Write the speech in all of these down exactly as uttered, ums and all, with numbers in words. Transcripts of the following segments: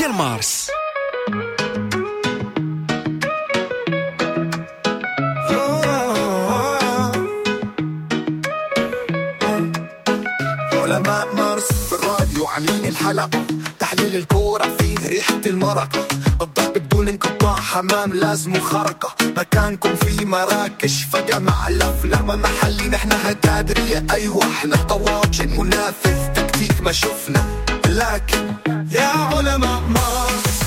ديال مارس. علماء مارس في الراديو عاملين الحلقة، تحليل الكورة فيه ريحة المرقة، الضرب بدون انقطاع، حمام لازم خرقة، مكانكم في مراكش فجأة مع الأفلام محلي، نحن هتادرية أيوة احنا طواجن منافذ تكتيك ما شفنا، لكن يا علماء مارس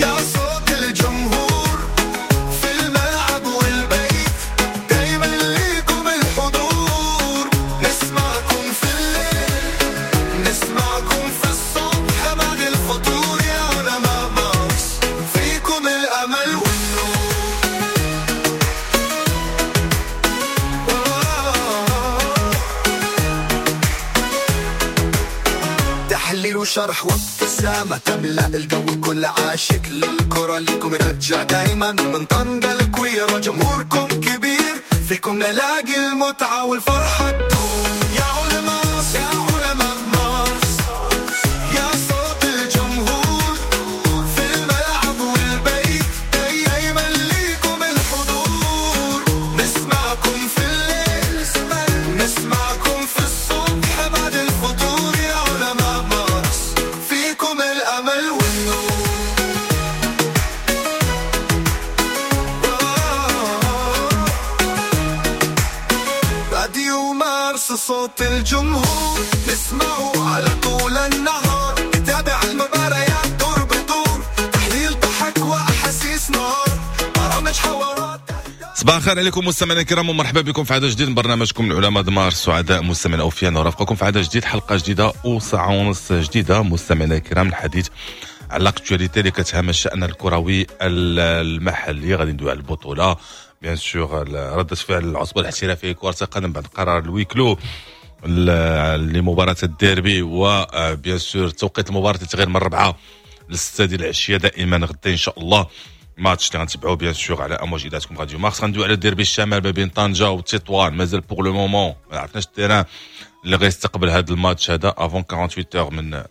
يا صوت الجمهور في الملعب والبيت، دايما ليكم الحضور، نسمعكم في الليل نسمعكم في الصبح بعد الفطور، يا علماء مارس فيكم الأمل والنور. تحليل وشرح وابتسامة تملأ الجو، كل عاشق للكرة ليكم نرجع دايما من طنجة الكويرة، جمهوركم كبير فيكم نلاقي المتعة والفرحة تدوم. يا علماء يا علماء مارس يا صوت الجمهور في الملعب والبيت، دايما ليكم الحضور، نسمعكم في الليل نسمعكم في الصبح بعد الفطور، يا علماء مارس فيكم الأمل والنور. راديو مارس صوت الجمهور، نسمعه على طول النهار، نتابع المباريات دور بدور، تحليل ضحك وأحاسيس نار، برامج حوارات. صباح الخير عليكم مستمعينا الكرام، ومرحبا بكم في عدد جديد من برنامجكم العلماء دمار. سعداء مستمعينا اوفياء نرافقكم في عدد جديد، حلقة جديدة وساعة ونص جديدة مستمعينا الكرام، الحديث على l'actualité اللي كتهم الشان الكروي المحلي. غادي ندوي على البطولة bien sûr، ردة فعل العصبة الاحترافية كره القدم بعد قرار ال huis clos لمباراة الديربي، و bien sûr توقيت المباراة تغير من الربعه للسته ديال العشية دائما غدا ان شاء الله. ماتش اللي غنتبعوه bien sûr على امواج اذاعتكم راديو مارس. غندوي على الديربي الشمال ما بين طنجه وتطوان، مازال pour le moment ما عرفناش ال terrain اللي غيستقبل هذا الماتش هذا avant ثمانية وأربعين heures من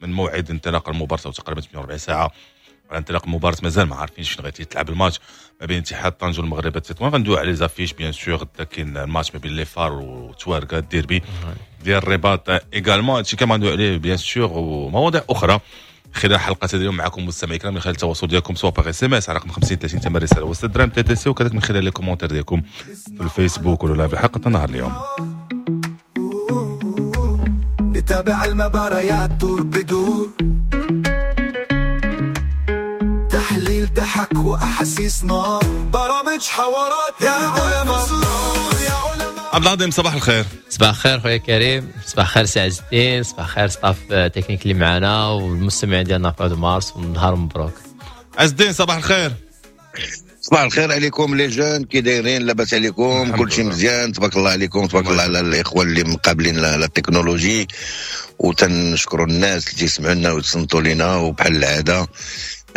من موعد انطلاق المباراة، او تقريبا ثمانية وأربعين ساعة على انطلاق المباراة، مازال ما عارفينش فين غادي يتلعب الماتش ما بين اتحاد طنجه والمغرب التطوان. غندوي على les affiches bien sûr، غدا كاين الماتش ما بين les FAR وتواركا، الديربي ديال الرباط également. هادشي كامل غندوي عليه bien sûr ومواضيع اخرى خلال حلقة اليوم معكم مستمعي الكرام، من خلال التواصل ديالكم سواء par SMS على رقم خمسين ثلاثين ثمن رسالة وستة درهم TTC، وكذلك من خلال les commentaires ديالكم في الفيسبوك ولا في حلقة النهار اليوم. نتابع المباريات دور بدور، تحليل ضحك واحاسيس نار، برامج حوارات، يا علماء يا علماء. عبد العظيم صباح الخير. صباح الخير خويا كريم، صباح الخير سي عز الدين، صباح الخير staff technique اللي معنا والمستمعين ديالنا في راديو مارس، ونهار مبروك. عز الدين صباح الخير. صباح الخير عليكم les jeunes، كي دايرين؟ لاباس عليكم؟ كلشي مزيان تبارك الله عليكم، تبارك الله على الاخوة اللي مقابلين la technologie، وتنشكروا الناس اللي تيسمعوا لنا ويتصنتوا لينا، وبحال العادة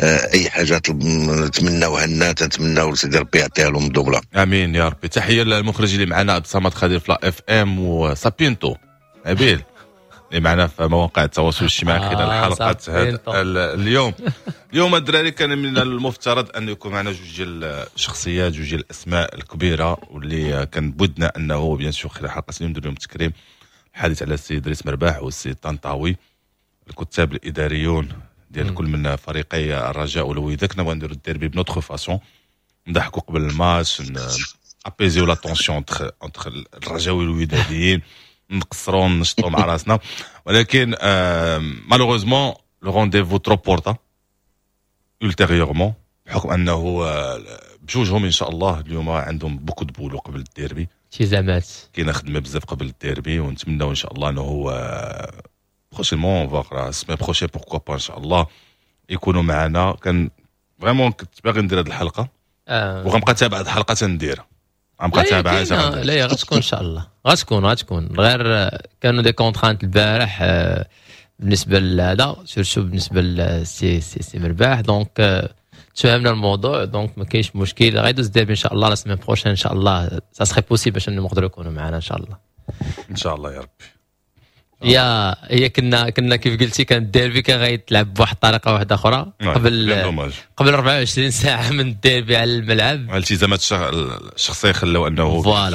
اي حاجة نتمناوها لنا تنتمناو لسيدي ربي يعطيها لهم دوبله. امين يا ربي. تحية للمخرج اللي معنا عبد الصمد خدير في la FM، وسابينتو نبيل اللي معنا في مواقع التواصل الاجتماعي خلال آه حلقة هذا اليوم. اليوم الدراري كان من المفترض ان يكون معنا جوج ديال الشخصيات، جوج ديال الاسماء الكبيرة، واللي كان بودنا انه bien sûr خلال حلقة اليوم ندير لهم تكريم، الحديث على السيد دريس مرباح والسيد طنطاوي، الكتاب الاداريون ديال كل من فريقي الرجاء والوداد. كنا بغا نديرو الديربي ب notre façon، نضحكوا قبل الماتش، apaiser la tension entre entre الرجاوي والوداديين، نقصروا نشطوا مع راسنا، ولكن malheureusement le rendez-vous se reporta ultérieurement، بحكم انه بجوجهم ان شاء الله اليوم عندهم beaucoup de boulot قبل الديربي، التزامات، كاينه خدمة بزاف قبل الديربي، ونتمناو ان شاء الله انه prochainement voire la semaine prochaine pourquoi pas ان شاء الله يكونوا معنا. كان vraiment كنت باغي ندير هذه الحلقة آه. وغنبقى تابع هذه الحلقة تنديرها، غنبقى تابعها. لا لا غتكون ان شاء الله، غتكون غتكون غير كانوا des contraintes البارح بالنسبة لهذا، surtout بالنسبة لسي سي سي مرباح، donc تفاهمنا الموضوع، donc ما كاينش مشكل، غيدوز دابا ان شاء الله la semaine prochaine ان شاء الله ça serait possible باش نقدروا يكونوا معنا ان شاء الله. ان شاء الله يا ربي. يا هي كنا كنا كيف قلتي، كان الديربي كان غيتلعب بواحد الطريقة واحدة اخرى قبل قبل أربعة وعشرين ساعة من الديربي على الملعب. الالتزامات الشخصية خلاو انه voilà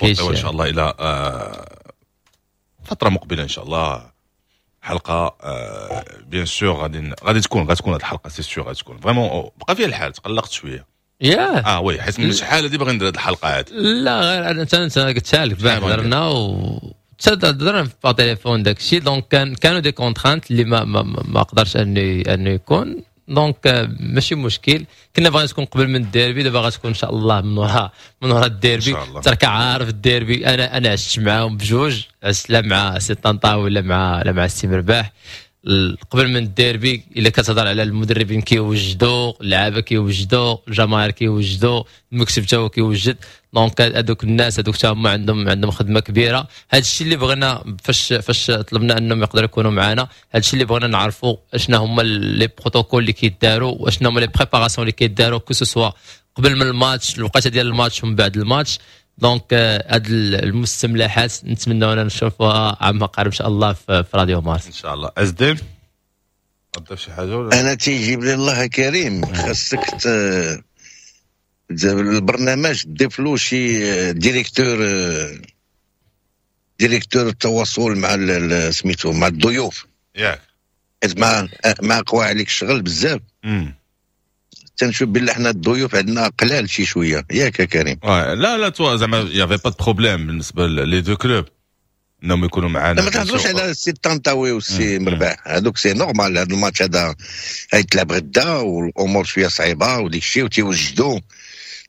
ان شاء الله الى فترة مقبله ان شاء الله حلقة bien sûr غادي غادي تكون غتكون هذه الحلقة، c'est sûr غتكون. vraiment بقى فيها الحال، تقلقت شويه. ياه اه oui، حيت من شحال هادي باغي ندير هذه الحلقة هذه. لا غير انا انت قلتها لك بعد هضرنا و هضرنا في تليفون داك الشيء، donc كان كانوا des contraintes اللي ما ما, ما قدرش انه انه يكون، donc ماشي مشكل. كنا باغي تكون قبل من الديربي، دابا غتكون ان شاء الله من وراء من وراء الديربي. ترك عارف الديربي، انا انا عشت معاهم بجوج، عشت لا مع سي طنطاوي ولا مع لا مع السي مرباح. قبل من الديربي الا كتهضر على المدربين كيوجدوا، اللعابه كيوجدوا، الجماهير كيوجدوا، المكتب تا هو كيوجد، donc هذوك الناس هذوك تا هما عندهم عندهم خدمة كبيره. هذا الشيء اللي بغينا فاش فاش طلبنا انهم يقدروا يكونوا معنا، هذا الشيء اللي بغينا نعرفوا اشنا هما les protocoles اللي كيداروا واشنا هما les préparations اللي كيداروا، que ce soit قبل من الماتش، الوقيته ديال الماتش ومن بعد الماتش. donc هاد المستملحات نتمنى نشوفوها عما قريب ان شاء الله في, في راديو مارس ان شاء الله. ازدين تضيف شي حاجة ولا؟ انا تيجيب لي الله كريم، خاصك البرنامج تضيف له شي directeur directeur التواصل مع سميتو مع الضيوف. ياك حيت مع مع قوى عليك الشغل بزاف. تنشوف بالله حنا الضيوف عندنا قلال شي شويه، ياك يا كريم؟ آه لا لا تو زعما y avait pas de problème بالنسبة les deux clubs انهم يكونوا معنا. ما تهضروش على السي طنطاوي والسي مرباح، هذوك c'est normal. هذا الماتش هذا غيتلعب غدا والامور شوية صعيبة وديك الشيء وتيوجدوا،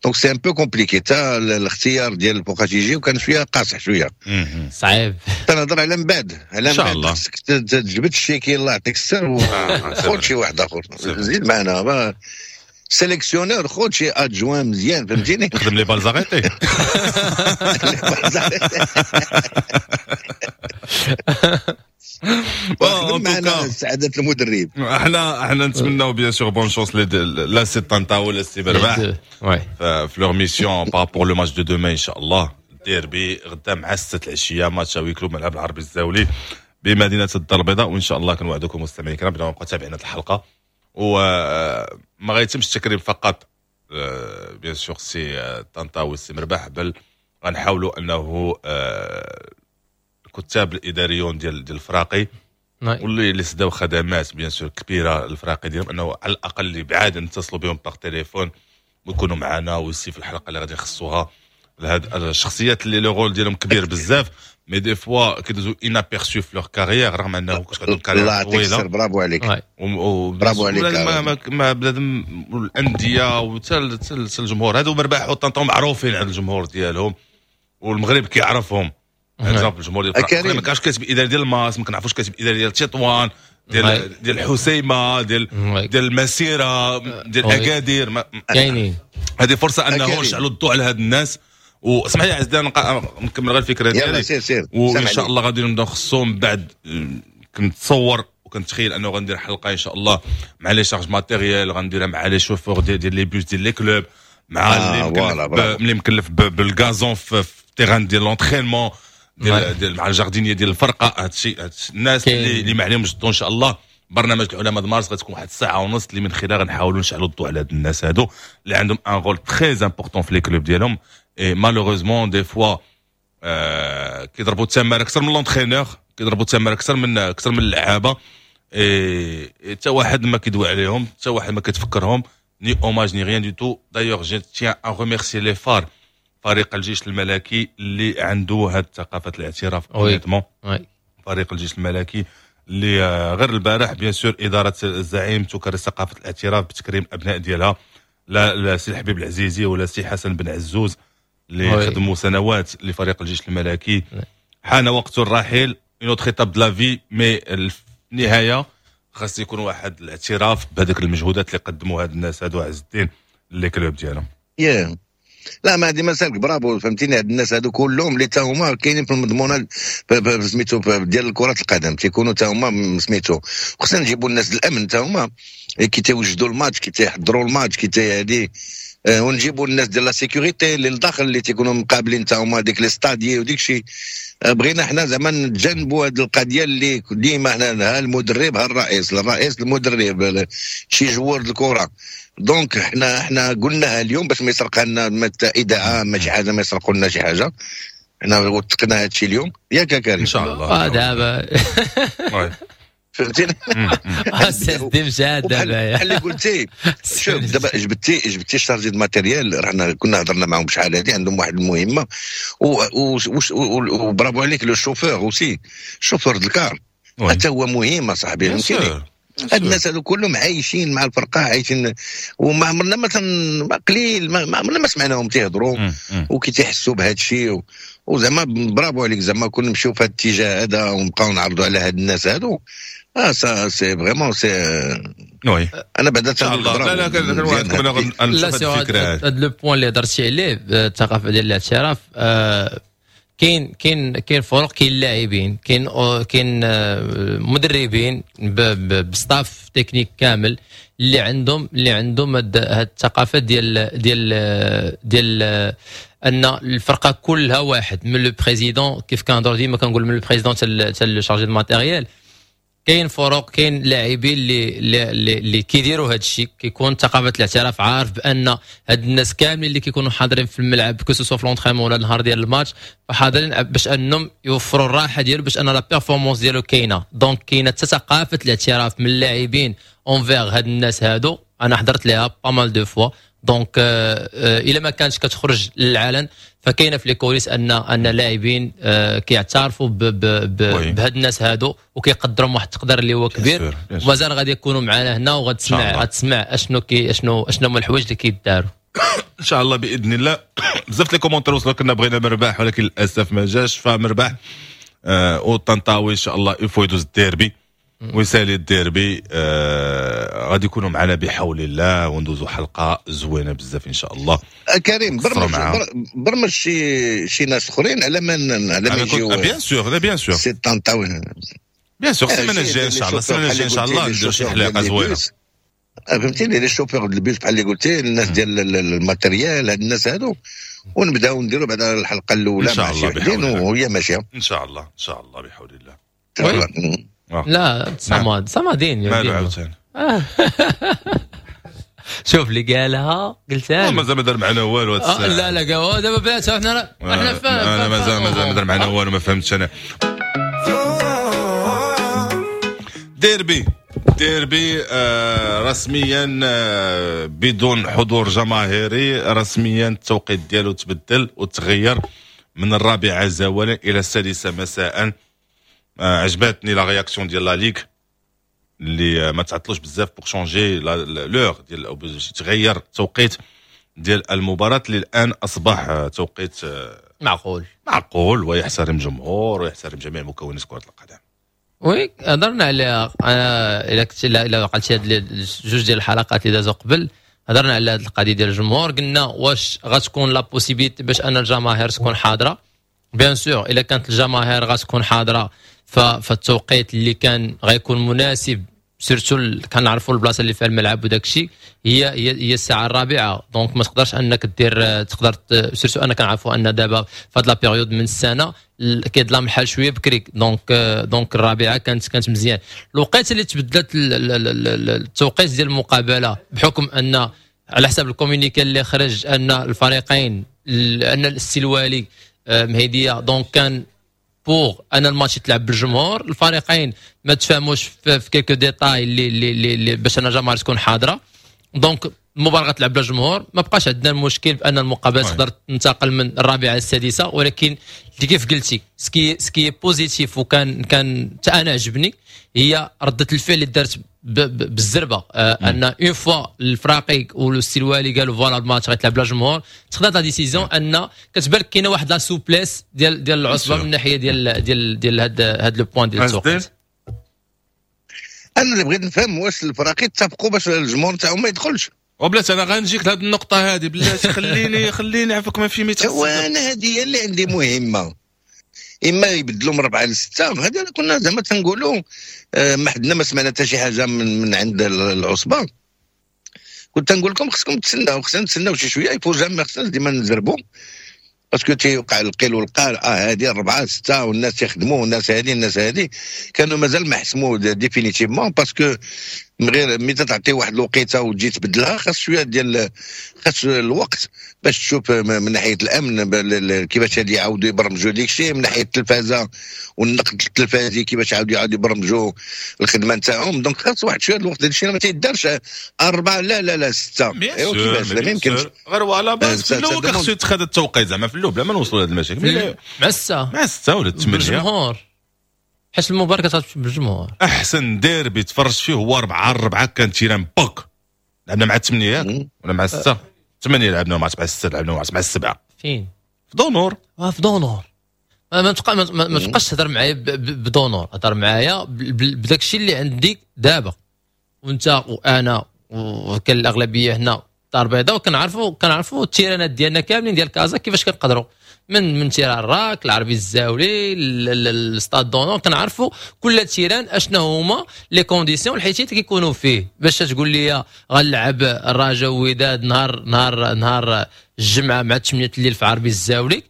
donc c'est un peu compliqué. تا الاختيار ديال فوقاش يجي وكان شوية قاصح شويه. صعيب. تنهضر على من بعد، على من بعد خصك تجبد الشيكي، الله يعطيك السر، وخذ شي واحد اخر زيد معنا sélectionneur، خذ شي adjoint مزيان، فهمتيني؟ خدم les balles arrêtées. les balles arrêtées. خدم معنا سعادة المدرب. احنا احنا نتمناو bien sûr bonne chance لا سي طنطا ولا سي برباح في leur mission par rapport le match de demain ان شاء الله. الديربي غدا مع ستة العشيه، match à huis clos، ملعب العربي الزاولي بمدينة الدار البيضاء. وان شاء الله كنوعدكم مستمعين الكرام بلا نبقى تابعين هذه الحلقه، وما غيتمش التكريم فقط bien sûr سي طنطا والسي مرباح، بل غنحاولوا انه الكتاب الاداريون ديال ديال الفراقي واللي اللي سداو خدمات bien sûr كبيرة الفراقي ديالهم، انه على الاقل اللي بعاد نتصلوا بهم par téléphone ويكونوا معنا ويسي في الحلقة اللي غادي نخصوها لهاد الشخصيات اللي le rôle ديالهم كبير بزاف، mais des fois كيدوزو inaperçus في leur carrière، رغم انه كنت عندهم carrière طويله. برافو عليك، برافو عليك. ما ما بنادم الاندية وحتى الجمهور، هادو مرباح وطنطا معروفين عند الجمهور ديالهم والمغرب كيعرفهم. exemple الجمهور ديال ما كانش كاتب اداري ديال الماس، ما كنعرفوش كاتب اداري ديال تطوان، ديال ديال الحسيمه، ديال ديال المسيره، ديال اكادير. كاينين. هذه فرصة انه نشعلوا الضوء على هاد الناس. واسمح لي عزيزي نكمل غير الفكرة ديالي. سير سير. وان شاء الله غادي نبداو نخصو من بعد. كنتصور وكنتخيل انه غندير حلقة ان شاء الله مع les chargés matériel، غنديرها مع les chauffeurs ديال ديال les bus ديال les clubs، مع اللي مكلف اللي مكلف بال gazon في terrain ديال l'entraînement، ديال ديال مع ال jardinier ديال الفرقه. هادشي الناس اللي اللي ما عليهمش الضوء. ان شاء الله برنامج العلماء مارس غتكون واحد الساعة ونص اللي من خلالها غنحاولوا نشعلوا الضوء على هاد الناس هادو اللي عندهم un rôle très important في les clubs ديالهم، et malheureusement des fois كيضربوا التماره اكثر من l'entraîneur، كيضربوا التماره اكثر من اكثر من اللعابه، حتى واحد ما كيدوي عليهم، حتى واحد ما كيتفكرهم، ni hommage ni rien du tout. d'ailleurs je tiens à remercier les FAR، فريق الجيش الملكي اللي عنده هاد ثقافة الاعتراف honnêtement. فريق الجيش الملكي اللي غير البارح bien sûr ادارة الزعيم تكرس ثقافة الاعتراف بتكريم الابناء ديالها، لا لا سي الحبيب العزيزي ولا سي حسن بن عزوز اللي خدموا سنوات لفريق الجيش الملكي. حان وقت الرحيل، une autre étape de la vie، mais في النهاية خاص يكون واحد الاعتراف بهذيك المجهودات اللي قدموا هاد الناس هادو عز الدين les clubs ديالهم. yeah. لا ما هذه مسالك، برافو، فهمتيني؟ هاد الناس هادو كلهم اللي تا هما كاينين في المضمونه سميتو ديال كرة القدم تيكونوا تا هما سميتو. خصنا نجيبوا الناس الامن تا هما كي تيوجدوا الماتش، كي تيحضروا الماتش، كي تي هادي. آه، ونجيبوا الناس ديال la sécurité اللي لداخل اللي تيكونوا مقابلين تا هما ديك les stadiers وديك الشيء. آه، بغينا حنا زعما نتجنبوا هذه القضية اللي ديما حنا ها المدرب ها الرئيس، الرئيس المدرب، شي joueur الكره. donc حنا حنا قلناها اليوم باش ما يسرق لنا ما اذاعة ما شي حاجه، ما يسرقوا لنا شي حاجه. حنا وثقنا هذا الشيء اليوم، ياك كريم؟ ان شاء الله. آه دابا فهمتيني؟ سيدي مشى دابا. بحال اللي قلتي، شوف دابا جبتي جبتي chargé de matériel، رانا كنا هضرنا معاهم شحال هادي، عندهم واحد المهمة وبرافو عليك. le chauffeur aussi، chauffeur ال car حتى هو مهم اصاحبي، فهمتيني؟ هاد الناس هادو كلهم عايشين مع الفرقه، عايشين وما عمرنا مثلا قليل ما عمرنا ما سمعناهم تيهضروا وكي تيحسوا بهذا الشيء. وزعما برافو عليك، زعما كون نمشيو في هذا الاتجاه هذا ونبقاو نعرضوا على هاد الناس هادو، اه ça c'est vraiment c'est oui. انا بعدا لا لا كنوعدكم انا نشوف الفكرة. هذا le point اللي هضرتي عليه، الثقافة ديال الاعتراف، آه كاين كاين كاين فرق، كاين لاعبين، كاين كاين مدربين ب staff technique كامل اللي عندهم اللي عندهم هاد الثقافة ديال ديال ديال ان الفرقة كلها واحد، من le président، كيف كنهضروا ديما كنقول من le président حتى le chargé de matériel. كاين فرق، كاين لاعبين اللي اللي, اللي كيديروا هذا الشيء، كيكون ثقافة الاعتراف، عارف بان هاد الناس كاملين اللي كيكونوا حاضرين في الملعب، que ce soit في l'entraînement ولا النهار ديال الماتش، فحاضرين باش انهم يوفروا الراحة ديالو، باش ان la performance ديالو كاينه. donc كاينه حتى ثقافة الاعتراف من اللاعبين envers هاد الناس هادو. انا حضرت ليها pas mal de fois، donc الا ما كانش كتخرج للعلن فكاينه في les coulisses ان ان اللاعبين آه، كيعترفوا بهاد الناس هادو وكيقدرهم واحد التقدير اللي هو كبير. ومازال غادي يكونوا معنا هنا وغتسمع غتسمع اشنو كي اشنو اشنو هما الحوايج اللي كيداروا. ان شاء الله باذن الله. بزاف les commentaires وصلوا، كنا بغينا مرباح ولكن للاسف ما جاش. فمرباح آه وطنطاوي ان شاء الله il faut يدوز الديربي ويسالي الديربي، آه غادي يكونوا معنا بحول الله وندوزوا حلقة زوينة بزاف ان شاء الله. آه، كريم، برمج برمج شي شي ناس اخرين على ما على ما يجيو. bien sûr، لا bien sûr. سي طنطاوي. bien sûr، السيمانة الجاية ان شاء الله، السيمانة الجاية ان شاء الله نديرو شي حلقة زوينه. فهمتيني؟ les chauffeurs ال bus بحال اللي قلتي، الناس ديال ال matériel، هاد الناس هادو، ونبداو نديرو بعد الحلقة الاولى ان شاء مع الله. شي وحدين وهي ماشيه. ان شاء الله، ان شاء الله بحول الله. لا صمد صمدين. مالو عاوتاني؟ شوف اللي قالها قلتها. مازال ما دار معنا والو. آه لا لا، قال دابا بلاتي، حنا حنا انا مازال مازال ما دار معنا والو، ما فهمتش انا. ديربي ديربي آه رسميا آه بدون حضور جماهيري، رسميا التوقيت ديالو تبدل وتغير من الرابعة زوالا الى السادسة مساء. آه عجبتني la réaction ديال la ligue اللي ما تعطلوش بزاف pour changer l'heure ديال او باش تغير التوقيت ديال المباراة اللي الان اصبح توقيت معقول. معقول ويحترم الجمهور ويحترم جميع مكونات كرة القدم. oui، هضرنا عليها الا كنت الا عقلتي هاد جوج ديال الحلقات اللي دازوا قبل، هضرنا على هاد القضية ديال الجمهور. قلنا واش غتكون la possibilité باش ان الجماهير تكون حاضره؟ bien sûr، الا كانت الجماهير غتكون حاضره فالتوقيت اللي كان غيكون مناسب، surtout كنعرفوا البلاصة اللي فيها الملعب وداك الشيء، هي هي هي الساعة الرابعه. donc ما تقدرش انك دير، تقدر surtout انا كنعرفوا ان دابا في هاد la période من السنة كيظلام الحال شوية بكري، donc donc الرابعة كانت كانت مزيان. الوقيته اللي تبدلت التوقيت ديال المقابله، بحكم ان على حسب ال communiqué اللي خرج ان الفريقين، ان السي الوالي مهديه، donc كان pour ان الماتش يتلعب بالجمهور. الفريقين ما تفاهموش في, في quelques détails اللي اللي اللي باش ان الجماهير تكون حاضره، donc المباراة غتلعب بلا جمهور. ما بقاش عندنا المشكل بان المقابلة تقدر تنتقل من الرابعة للسادسه. ولكن اللي كيف قلتي ce qui ce qui est positif وكان كان حتى انا عجبني هي رده الفعل اللي دارت بالزربه، آه ان une fois الفراقي والسي الوالي قالوا voilà الماتش غيتلعب بلا جمهور، تخدات la décision ان كتبان لك كاينه واحد la souplesse ديال ديال العصبة من الناحية ديال ديال ديال هاد هاد le point ديال التوقيت. انا اللي بغيت نفهم واش الفراقي اتفقوا باش الجمهور تاعهم ما يدخلش؟ وبلاتي انا غنجيك لهاد النقطة هذه، بلاتي خليني خليني عفاك ما في ميت. وانا هذه هي اللي عندي مهمه، اما يبدلوا من ربعه لسته، هذا كنا زعما تنقولوا آه، ما حدنا ما سمعنا حتى شي حاجة من, من عند العصبه. كنت نقول لكم خصكم تسناو، خصنا نتسناو شي شوية، il faut jamais خصنا ديما نزربوا parce que تيوقع القيل والقال، اه هذه أربعة ستة والناس تيخدموا والناس هذه الناس هذه كانوا مازال ما حسموا définitivement، parce que من غير ملي تعطي واحد الوقيته وتجي تبدلها خاص شوية ديال خاص الوقت باش تشوف من ناحية الامن كيفاش غادي يعاودوا يبرمجوا ديك الشيء، من ناحية التلفازه والنقد التلفازي كيفاش يعاودوا يعاودوا يبرمجوا الخدمة نتاعهم. donc خاص واحد شوية الوقت، هذا الشيء ما تيدارش أربعة لا لا لا ستة، ايوا كيفاش لا ما يمكنش. غير هو على base في الاول خصو يتخذ التوقيت زعما في الاول بلا ما نوصلوا لهذه المشاكل مع الستة مع الستة ولا الثمانية بالجمهور، حيت المباراة كتلعب بالجمهور. احسن ديربي تفرجت فيه هو أربعة أربعة كان terrain بوك، لعبنا مع الثمانية ياك ولا مع الستة؟ ثمانية لعبنا مع الستة، لعبنا مع السبعة. فين؟ في دونور. اه في دونور. ما تبقى ما تبقاش تهضر معايا بدونور، هضر معايا بداك الشيء اللي عندي دابا، وانت وانا وكان الاغلبية هنا الدار البيضاء، وكنعرفوا كنعرفوا التيرانات ديالنا كاملين ديال كازا كيفاش كنقدروا من من terrain الراك، العربي الزاولي، ال stade d'honneur، كنعرفوا كل terrain اشنا هما les conditions الحيتيات كيكونوا فيه. باش تقول لي غنلعب الرجاء وداد نهار نهار نهار الجمعة مع ثمانية الليل في عربي الزاولي،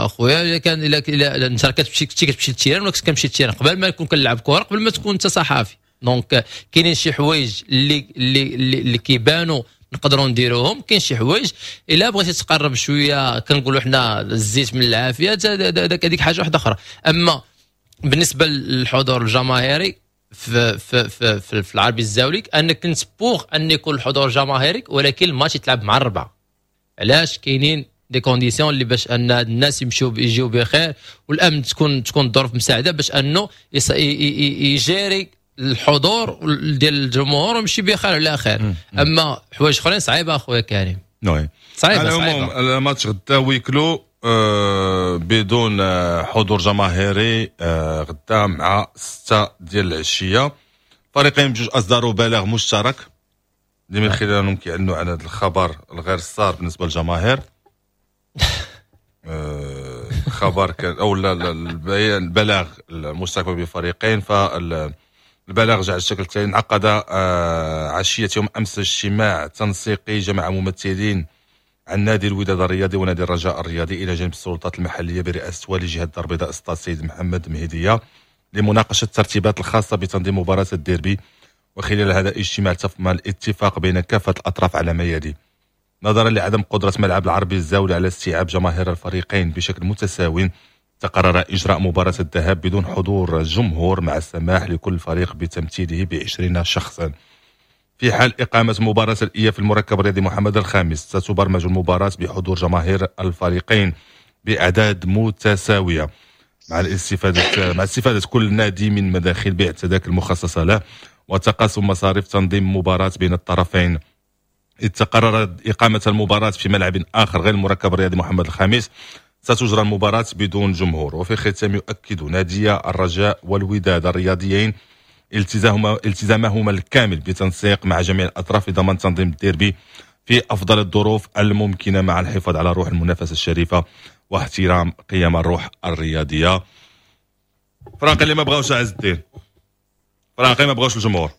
خويا الا كان الا انت كتمشي كتمشي لل terrain ولا كتمشي لل terrain قبل ما يكون كنلعب كره، قبل ما تكون انت صحافي. donc كاينين شي حوايج اللي اللي اللي كيبانوا نقدروا نديروهم، كاين شي حوايج الا بغيتي تقرب شوية كنقولوا حنا الزيت من العافية، هذيك حاجة واحدة اخرى. اما بالنسبة للحضور الجماهيري في في في, في, في العربي الزاولي، انا كنت pour ان يكون الحضور الجماهيري، ولكن الماتش يتلعب مع الربعه. علاش؟ كاينين des conditions اللي باش ان الناس يمشيو يجيو بخير، والامن تكون تكون الظروف مساعدة باش انه يجاري الحضور ديال الجمهور ويمشي بخير على خير. اما حوايج اخرين صعيبة اخويا كريم. oui صعيبة. على العموم الماتش غدا huis clos آه بدون حضور جماهيري، آه غدا مع ستة ديال العشيه. فريقين بجوج اصدروا بلاغ مشترك اللي من خلالهم كيعلنوا على هذا الخبر الغير السار بالنسبة للجماهير. آه خبر كان او البلاغ المشترك بين الفريقين، فالبلاغ جاء على الشكل التالي: انعقد آه عشية يوم امس اجتماع تنسيقي جمع ممثلين عن نادي الوداد الرياضي ونادي الرجاء الرياضي الى جانب السلطات المحلية برئاسة والي جهة الدار البيضاء سطات السيد محمد مهديه لمناقشة الترتيبات الخاصة بتنظيم مباراة الديربي. وخلال هذا الاجتماع تم الاتفاق بين كافة الاطراف على ما يلي: نظرا لعدم قدرة ملعب العربي الزاولي على استيعاب جماهير الفريقين بشكل متساو، تقرر إجراء مباراة الذهاب بدون حضور جمهور مع السماح لكل فريق بتمثيله بعشرين شخصا. في حال إقامة مباراة الإياب في المركب الرياضي محمد الخامس، ستبرمج المباراة بحضور جماهير الفريقين بأعداد متساوية مع الاستفادة مع استفادة كل نادي من مداخل بيع التذاكر المخصصة له وتقاسم مصاريف تنظيم مباراة بين الطرفين. إذ تقررت إقامة المباراة في ملعب آخر غير المركب الرياضي محمد الخامس، ستجرى المباراة بدون جمهور. وفي الختام يؤكد نادي الرجاء والوداد الرياضيين التزامهما التزامهما الكامل بتنسيق مع جميع الأطراف لضمان تنظيم الديربي في أفضل الظروف الممكنة مع الحفاظ على روح المنافسة الشريفة واحترام قيم الروح الرياضية. فراقي اللي ما بغاوش عز الدين، فراقي ما بغاوش الجمهور.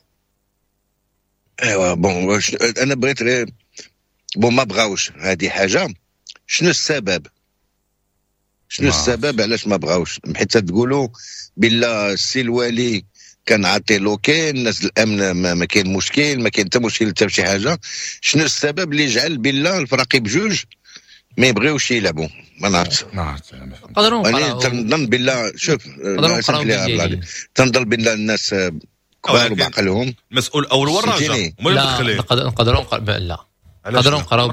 ايوا bon انا بغيت غير bon ما بغاوش هذه حاجة، شنو السبب؟ شنو السبب علاش ما بغاوش؟ حيت تقولوا بلا السي الوالي كان عاطي l'OK، الناس الامن ما, ما كاين مشكل، ما كاين حتى مشكل حتى شي حاجة. شنو السبب اللي جعل بلا الفراقي بجوج ما يبغيوش يلعبوا؟ ما نعرفش. ما عرفت. نقدروا انا تنظن بالله شوف تنظن بالله الناس كبار وبعقلهم. المسؤول الاول هو الرجاء، هما اللي مدخلين. نقدروا لا نقدروا نقراو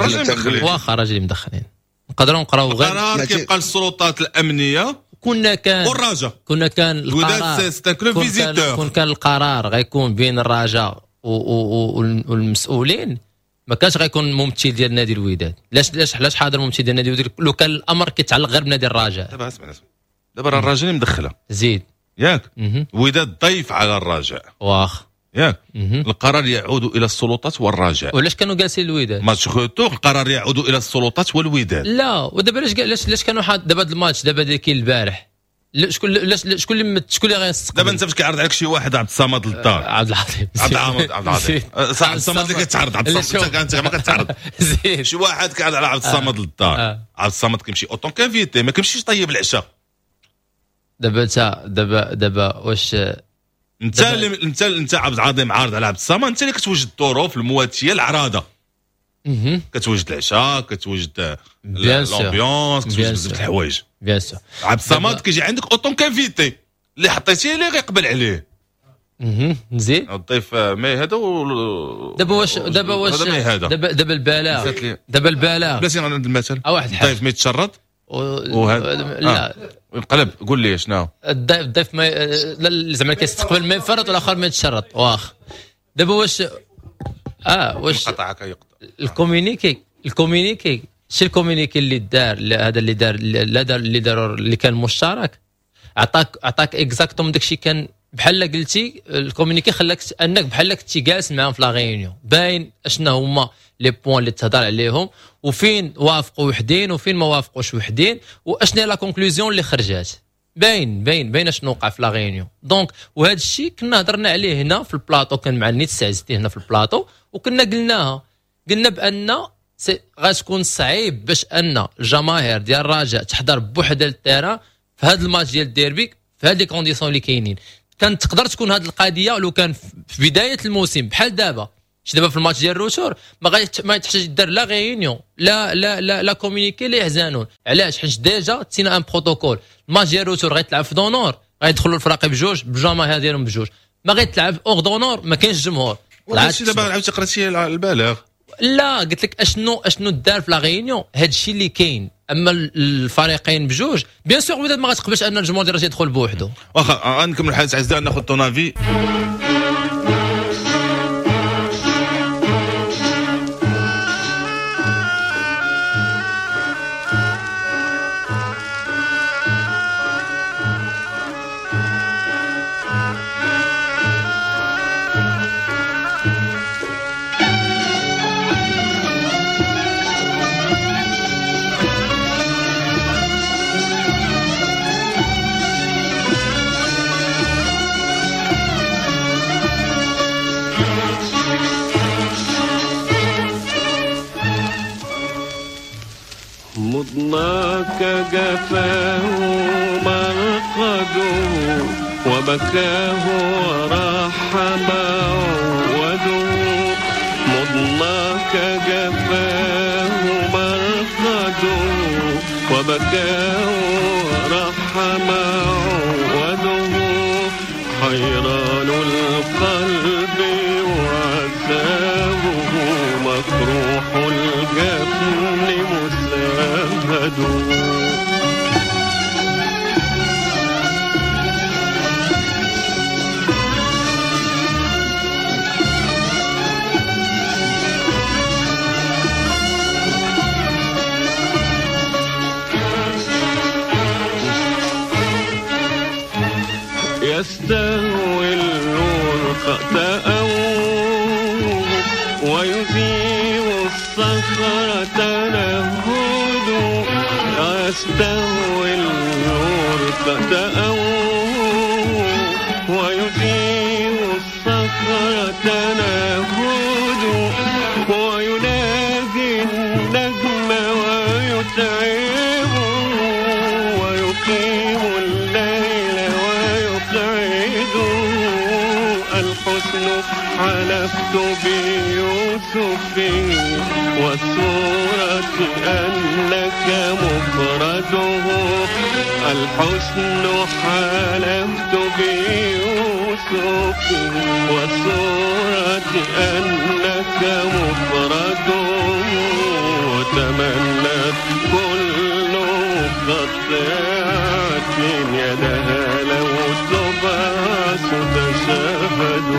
واخا راجل مدخلين، نقدروا نقراو غير القرار كيبقى للسلطات الامنية. كنا كان والرجاء كنا كان القرار كون كان القرار غيكون بين الرجاء والمسؤولين، ما كانش غيكون ممثل ديال نادي الوداد. علاش علاش علاش حاضر ممثل ديال نادي الوداد لو كان الامر كيتعلق غير بنادي الرجاء؟ دابا اسمع اسمع، دابا راه الرجاء اللي مدخله زيد ياك، الوداد ضيف على الرجاء واخ ياك، القرار يعود الى السلطات والرجاء. وعلاش كانوا جالسين الوداد؟ match retour القرار يعود الى السلطات والوداد. لا ودابا علاش علاش علاش كانوا حاط دابا هذا الماتش دابا اللي كاين البارح شكون شكون اللي شكون اللي غيستقبل؟ دابا انت فاش كيعرض عليك شي واحد عبد الصمد للدار، عبد العظيم عبد العظيم عبد العظيم صح، عبد الصمد اللي كتعرض، عبد الصمد انت ما كتعرض. شي واحد كيعرض على عبد الصمد للدار، عبد الصمد كيمشي en tant qu'invité، ما كيمشيش طيب العشاء. دابا انت دابا دابا واش انت اللي انت انت عبد العظيم عارض على عبد الصمد، انت اللي كتوجد الظروف المواتيه العراضه، كتوجد العشاء، كتوجد l'ambiance، كتوجد بزاف د الحوايج. bien sûr عبد الصمد كيجي عندك en tant qu'invité اللي حطيتيه ليه غيقبل عليه. اها مزيان الضيف mais هذا و... دابا واش دابا واش دابا دابا البلاغ دابا البلاغ بلاتي عند المثل واحد الحاجة، الضيف ما يتشرط وهذا لا انقلب. قول لي شنو الضيف الضيف ما زعما كيستقبل ما يفرط والاخر ما يتشرط. واخ دابا واش اه واش قطعك يقطع ال communiqué ال communiqué شي ال communiqué اللي دار هذا اللي دار لا دار اللي دار اللي كان مشترك، عطاك عطاك exactement داكشي كان بحال قلتي. ال communiqué خلاك انك بحال كنتي جالس معاهم في la réunion، باين اشنا هما les points اللي تهضر عليهم وفين وافقوا وحدين وفين ما وافقوش وحدين واشنا la conclusion اللي خرجات، باين باين باين اشنو وقع في la réunion. donc وهذا الشيء كنا هضرنا عليه هنا في البلاطو، كان مع نيت سعزتي هنا في البلاطو وكنا قلناها، قلنا بان غتكون صعيب باش ان الجماهير ديال الرجاء تحضر بوحدها لل terrain في هذا الماتش ديال الديربي في هاد les conditions اللي كاينين. كانت تقدر تكون هذه القضية لو كان في بداية الموسم بحال دابا، شي دابا في الماتش ديال ال retour ما غادي ما تحتاج دير لا réunion لا لا لا لا communiqué لا يحزنون. علاش؟ حيت déjà تسينا un protocole. الماتش ديال ال retour غيتلعب في d'honneur، غيدخلوا الفراقي بجوج بالجماهير ديالهم بجوج، ما غيتلعب hors d'honneur ما كاينش جمهور. هادشي دابا عاودتي قراتي البلاغ؟ لا قلت لك اشنو اشنو دار في la réunion، هادشي اللي كاين. اما الفريقين بجوج bien sûr وداد ما غتقبلش ان الجمهور ديال الرجاء يدخل بوحدو. واخا غنكمل الحديث عزيزي، ناخذ ton avis. مضناك جفاه مرقده وبكاه وراح معوده. مضناك جفاه مرقده وبكاه وراح معوده. حيران القلب وعذابه مكروح الجفن مساهد. يستهوي الورق تأوه ويذيب الصخرة تنهد. يستهوي الورق تأوه ويذيب الصخرة تنهد. وينادي النجم ويتعبه ويقيم الليل ويقعده. الحسن حلفت بيوسف والصورة أنك مفرده. الحسن حلفت بيوسف والصورة أنك مفرده. وتمنت كل قطعة يدها لو تبعث تشهد.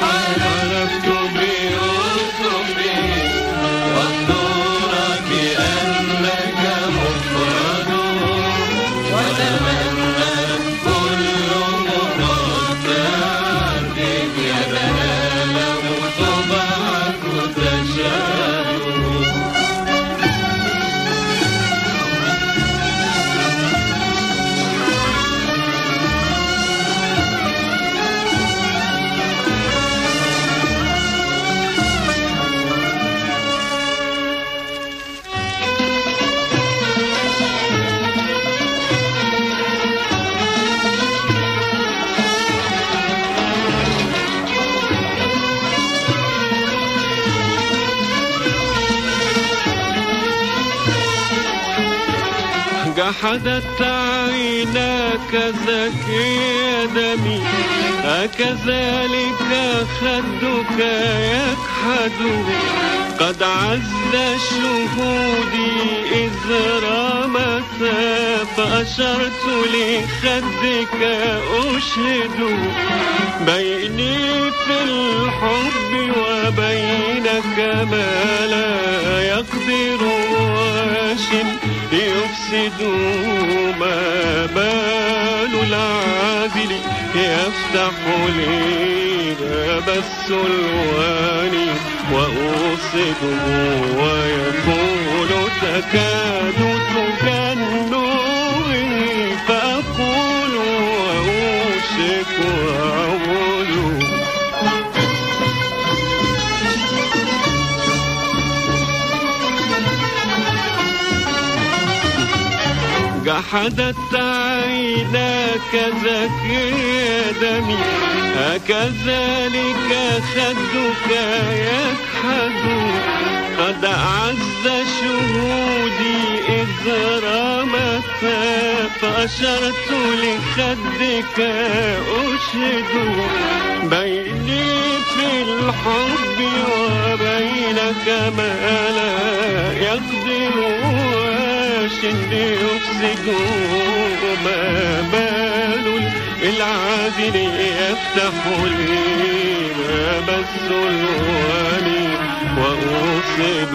حلفت بيوسف والصورة أنك مفرده. وتمنت كل مقطعة يدها لو تبعث تشهد. جحدت عيناك زكي دمي أكذلك خدك يكحد قد عز شهودي إذ رمتا فأشرت لخدك أشهد بيني في الحب وبينك ما لا يقدر واش يفسد ما بال العادل يفتح لي باب السلوان وأوصده ويقول تكاد تجن فأقول وأوشك وأعود. جحدت عيناك زكي دمي أكذلك خدك يكحد قد عز شهودي إذ رمتا فأشرت لخدك أشهد بيني في الحب وبينك ما لا يقدر يفسد ما بال العادل يفتح لي باب السلوان وأوصد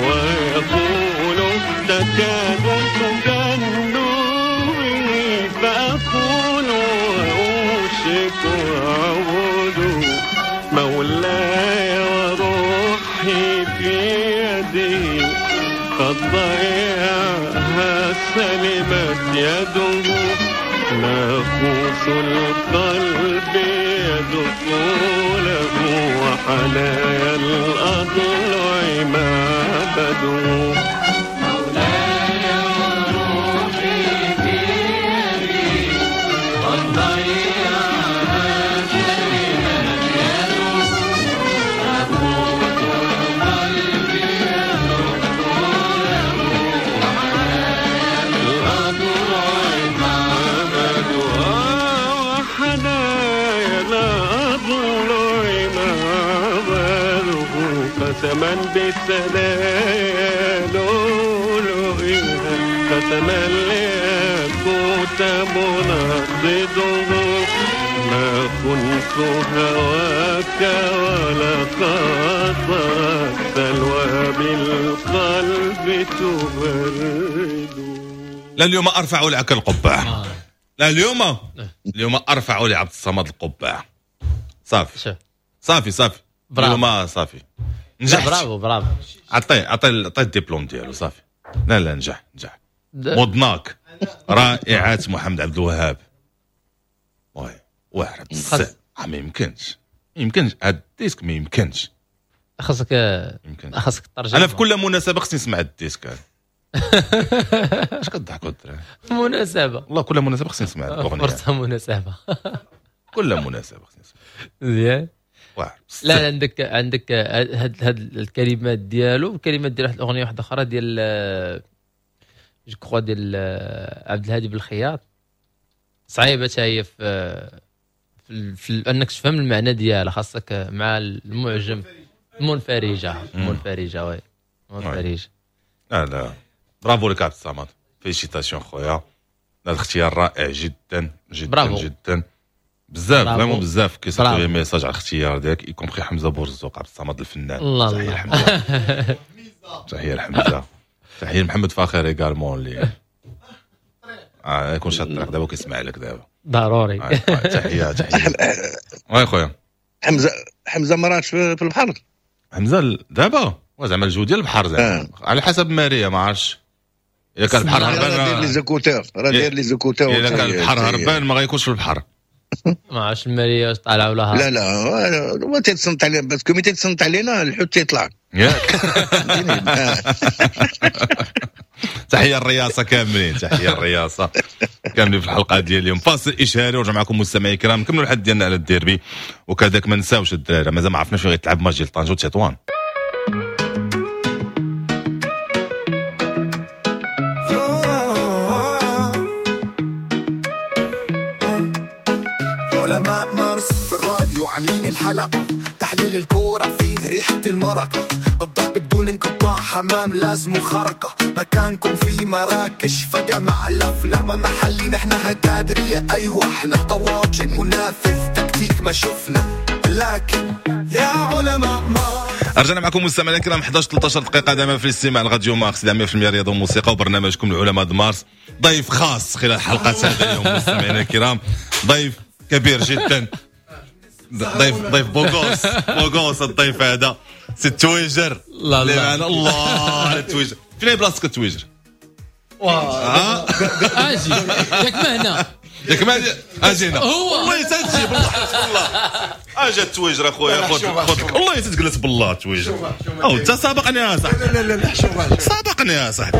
ويقول تكاد تجن فأقول وأوشك وأعود مولاي وروحي في يدي قد ضيعها سلمت يده ناقوس القلب يدق له وحنايا الأضلع معبده. مولاي وروحي في يدي قد ضيعها سلمت يده ناقوس القلب يدق له وحنايا الأضلع معبده وحنايا الأضلع معبده قسما بالثنايا لؤلؤها قسما الياقوت منضده ما خنت هواك ولا خاطرك سلوى بالقلب تبرد. لا اليوم ارفع لك القبعة. لا اليوم اليوم ارفع لعبد الصمد القبعة. صافي صافي صافي اليوم صافي نجحت. bravo bravo. عطية عطية عطية الدبلوم ديالو صافي. لا لا نجح نجح. مضناك رائعات محمد عبد الوهاب. oui واعر بزاف. ما يمكنش ما يمكنش هاد ال disque ما يمكنش. خاصك خاصك ترجم. انا في كل مناسبة خصني نسمع ال disque هذا. اش كضحكوا الدراري؟ مناسبة والله كل مناسبة خصني نسمع الاغنية. فرصة مناسبة. كل مناسبة خصني نسمع. مزيان. واعر. لا عندك عندك هاد هاد الكلمات ديالو الكلمات ديال واحد الاغنية واحدة اخرى ديال je crois ديال عبد الهادي بالخياط صعيبة حتى هي في في, في انك تفهم المعنى ديالها خاصك مع المعجم المنفرجه المنفرجه oui منفرجه. لا لا برافو لك عبد الصمد félicitations خويا. الاختيار رائع جدا جدا برافو. جدا بزاف vraiment بزاف كيصيفطوا لي messages على الاختيار ديالك y compris حمزة بورزوق عبد الصمد الفنان. الله تحية لحمزة تحية لحمزة تحية لمحمد فاخر également اللي اه يكون شاد الطريق دابا كيسمع لك دابا ضروري. تحية تحية oui خويا حمزة. حمزة ما راكش في البحر حمزة دابا زعما الجو ديال البحر زعما على حسب ماريا ما عرفتش الا كان البحر هربان راه داير les écouteurs راه داير les écouteurs الا كان البحر هربان ما غيكونش في البحر. ما عرفتش الماريا واش طالعه ولا هابطة. لا لا هو تيتصنت علينا parce que ملي تيتصنت علينا الحوت تيطلع ياك. تحية الرئاسة كاملين تحية الرئاسة كاملين في الحلقة ديال اليوم. فاصل اشهاري ورجع معكم مستمعي الكرام نكملوا الحد ديالنا على الديربي وكذاك ما نساوش الدراري مازال ما عرفناش فين غيتلعب ماتش ديال طنجه وتطوان. الحلقة، تحليل الكورة فيه ريحة المرقة، الضرب بدون انقطاع، حمام لازم خرقة، مكانكم في مراكش فجمع الأفلام محلي، نحن هتادرية أيوة احنا طواجن منافذ تكتيك ما شفنا، لكن يا علماء ما. رجعنا معكم مستمعينا الكرام، إحداش ثلاثة عشر دقيقة دائما في الاستماع لراديو مارس مية بالمية رياضة وموسيقى وبرنامجكم العلماء د مارس. ضيف خاص خلال حلقة هذا اليوم مستمعينا الكرام، ضيف كبير جدا، ضيف ضيف beau gosse beau gosse الضيف هذا سي التويجر. لا لا الله على التويجر، فين هي بلاصتك التويجر؟ اجي ياك ما هنا ياك ما اجي هنا هو والله تجي بالله والله اجا التويجر اخويا، خذ خذ والله تتجلس بالله التويجر. او انت سابقني يا صاحبي. لا لا لا حشومه، سابقني يا صاحبي.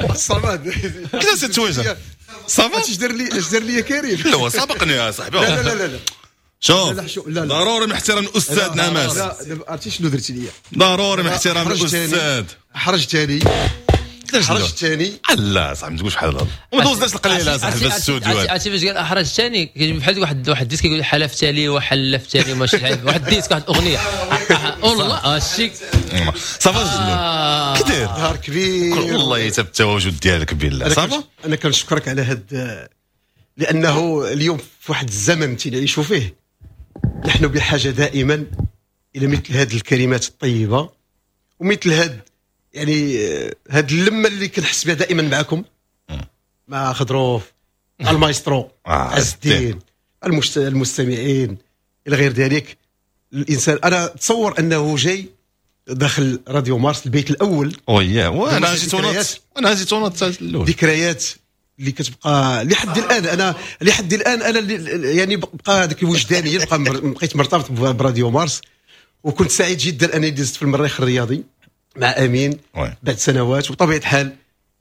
الصمد كيفاش التويجر؟ ça va اش دار لي اش دار لي كريم؟ لا هو سابقني يا صاحبي. لا لا لا لا شوف ضروري من احترام الاستاذ نعماس. لا عرفتي شنو درتي لي؟ ضروري من احترام الاستاذ. حرجتني حرجتني. لا صاحبي ما تقولش بحال هذا، وما دوزناش القليلة صاحبي في الاستوديو. عرفتي فاش قال احرجتني بحال واحد واحد disque كيقول حلفت لي وحلفت لي ماشي واحد disque واحد الاغنية والله هادشي. ça va جلول كي داير؟ نهار كبير والله يتب التواجد ديالك بالله. ça va انا كنشكرك على هاد، لانه اليوم في واحد الزمن تنعيشوا فيه نحن بحاجة دائما الى مثل هذه الكلمات الطيبة ومثل هاد يعني هاد اللمة اللي كنحس بها دائما معكم، مع خضروف، المايسترو عز الدين، المشت... المستمعين الى غير ذلك. الانسان انا تصور انه جاي داخل راديو مارس البيت الاول. وياه وانا جيت ونط انا جيت ونط الاول. ذكريات اللي كتبقى لحد الان، انا لحد الان انا يعني بقى هذاك الوجداني بقى بقيت مرتبط براديو مارس، وكنت سعيد جدا انني دزت في المريخ الرياضي مع امين بعد سنوات. وبطبيعة الحال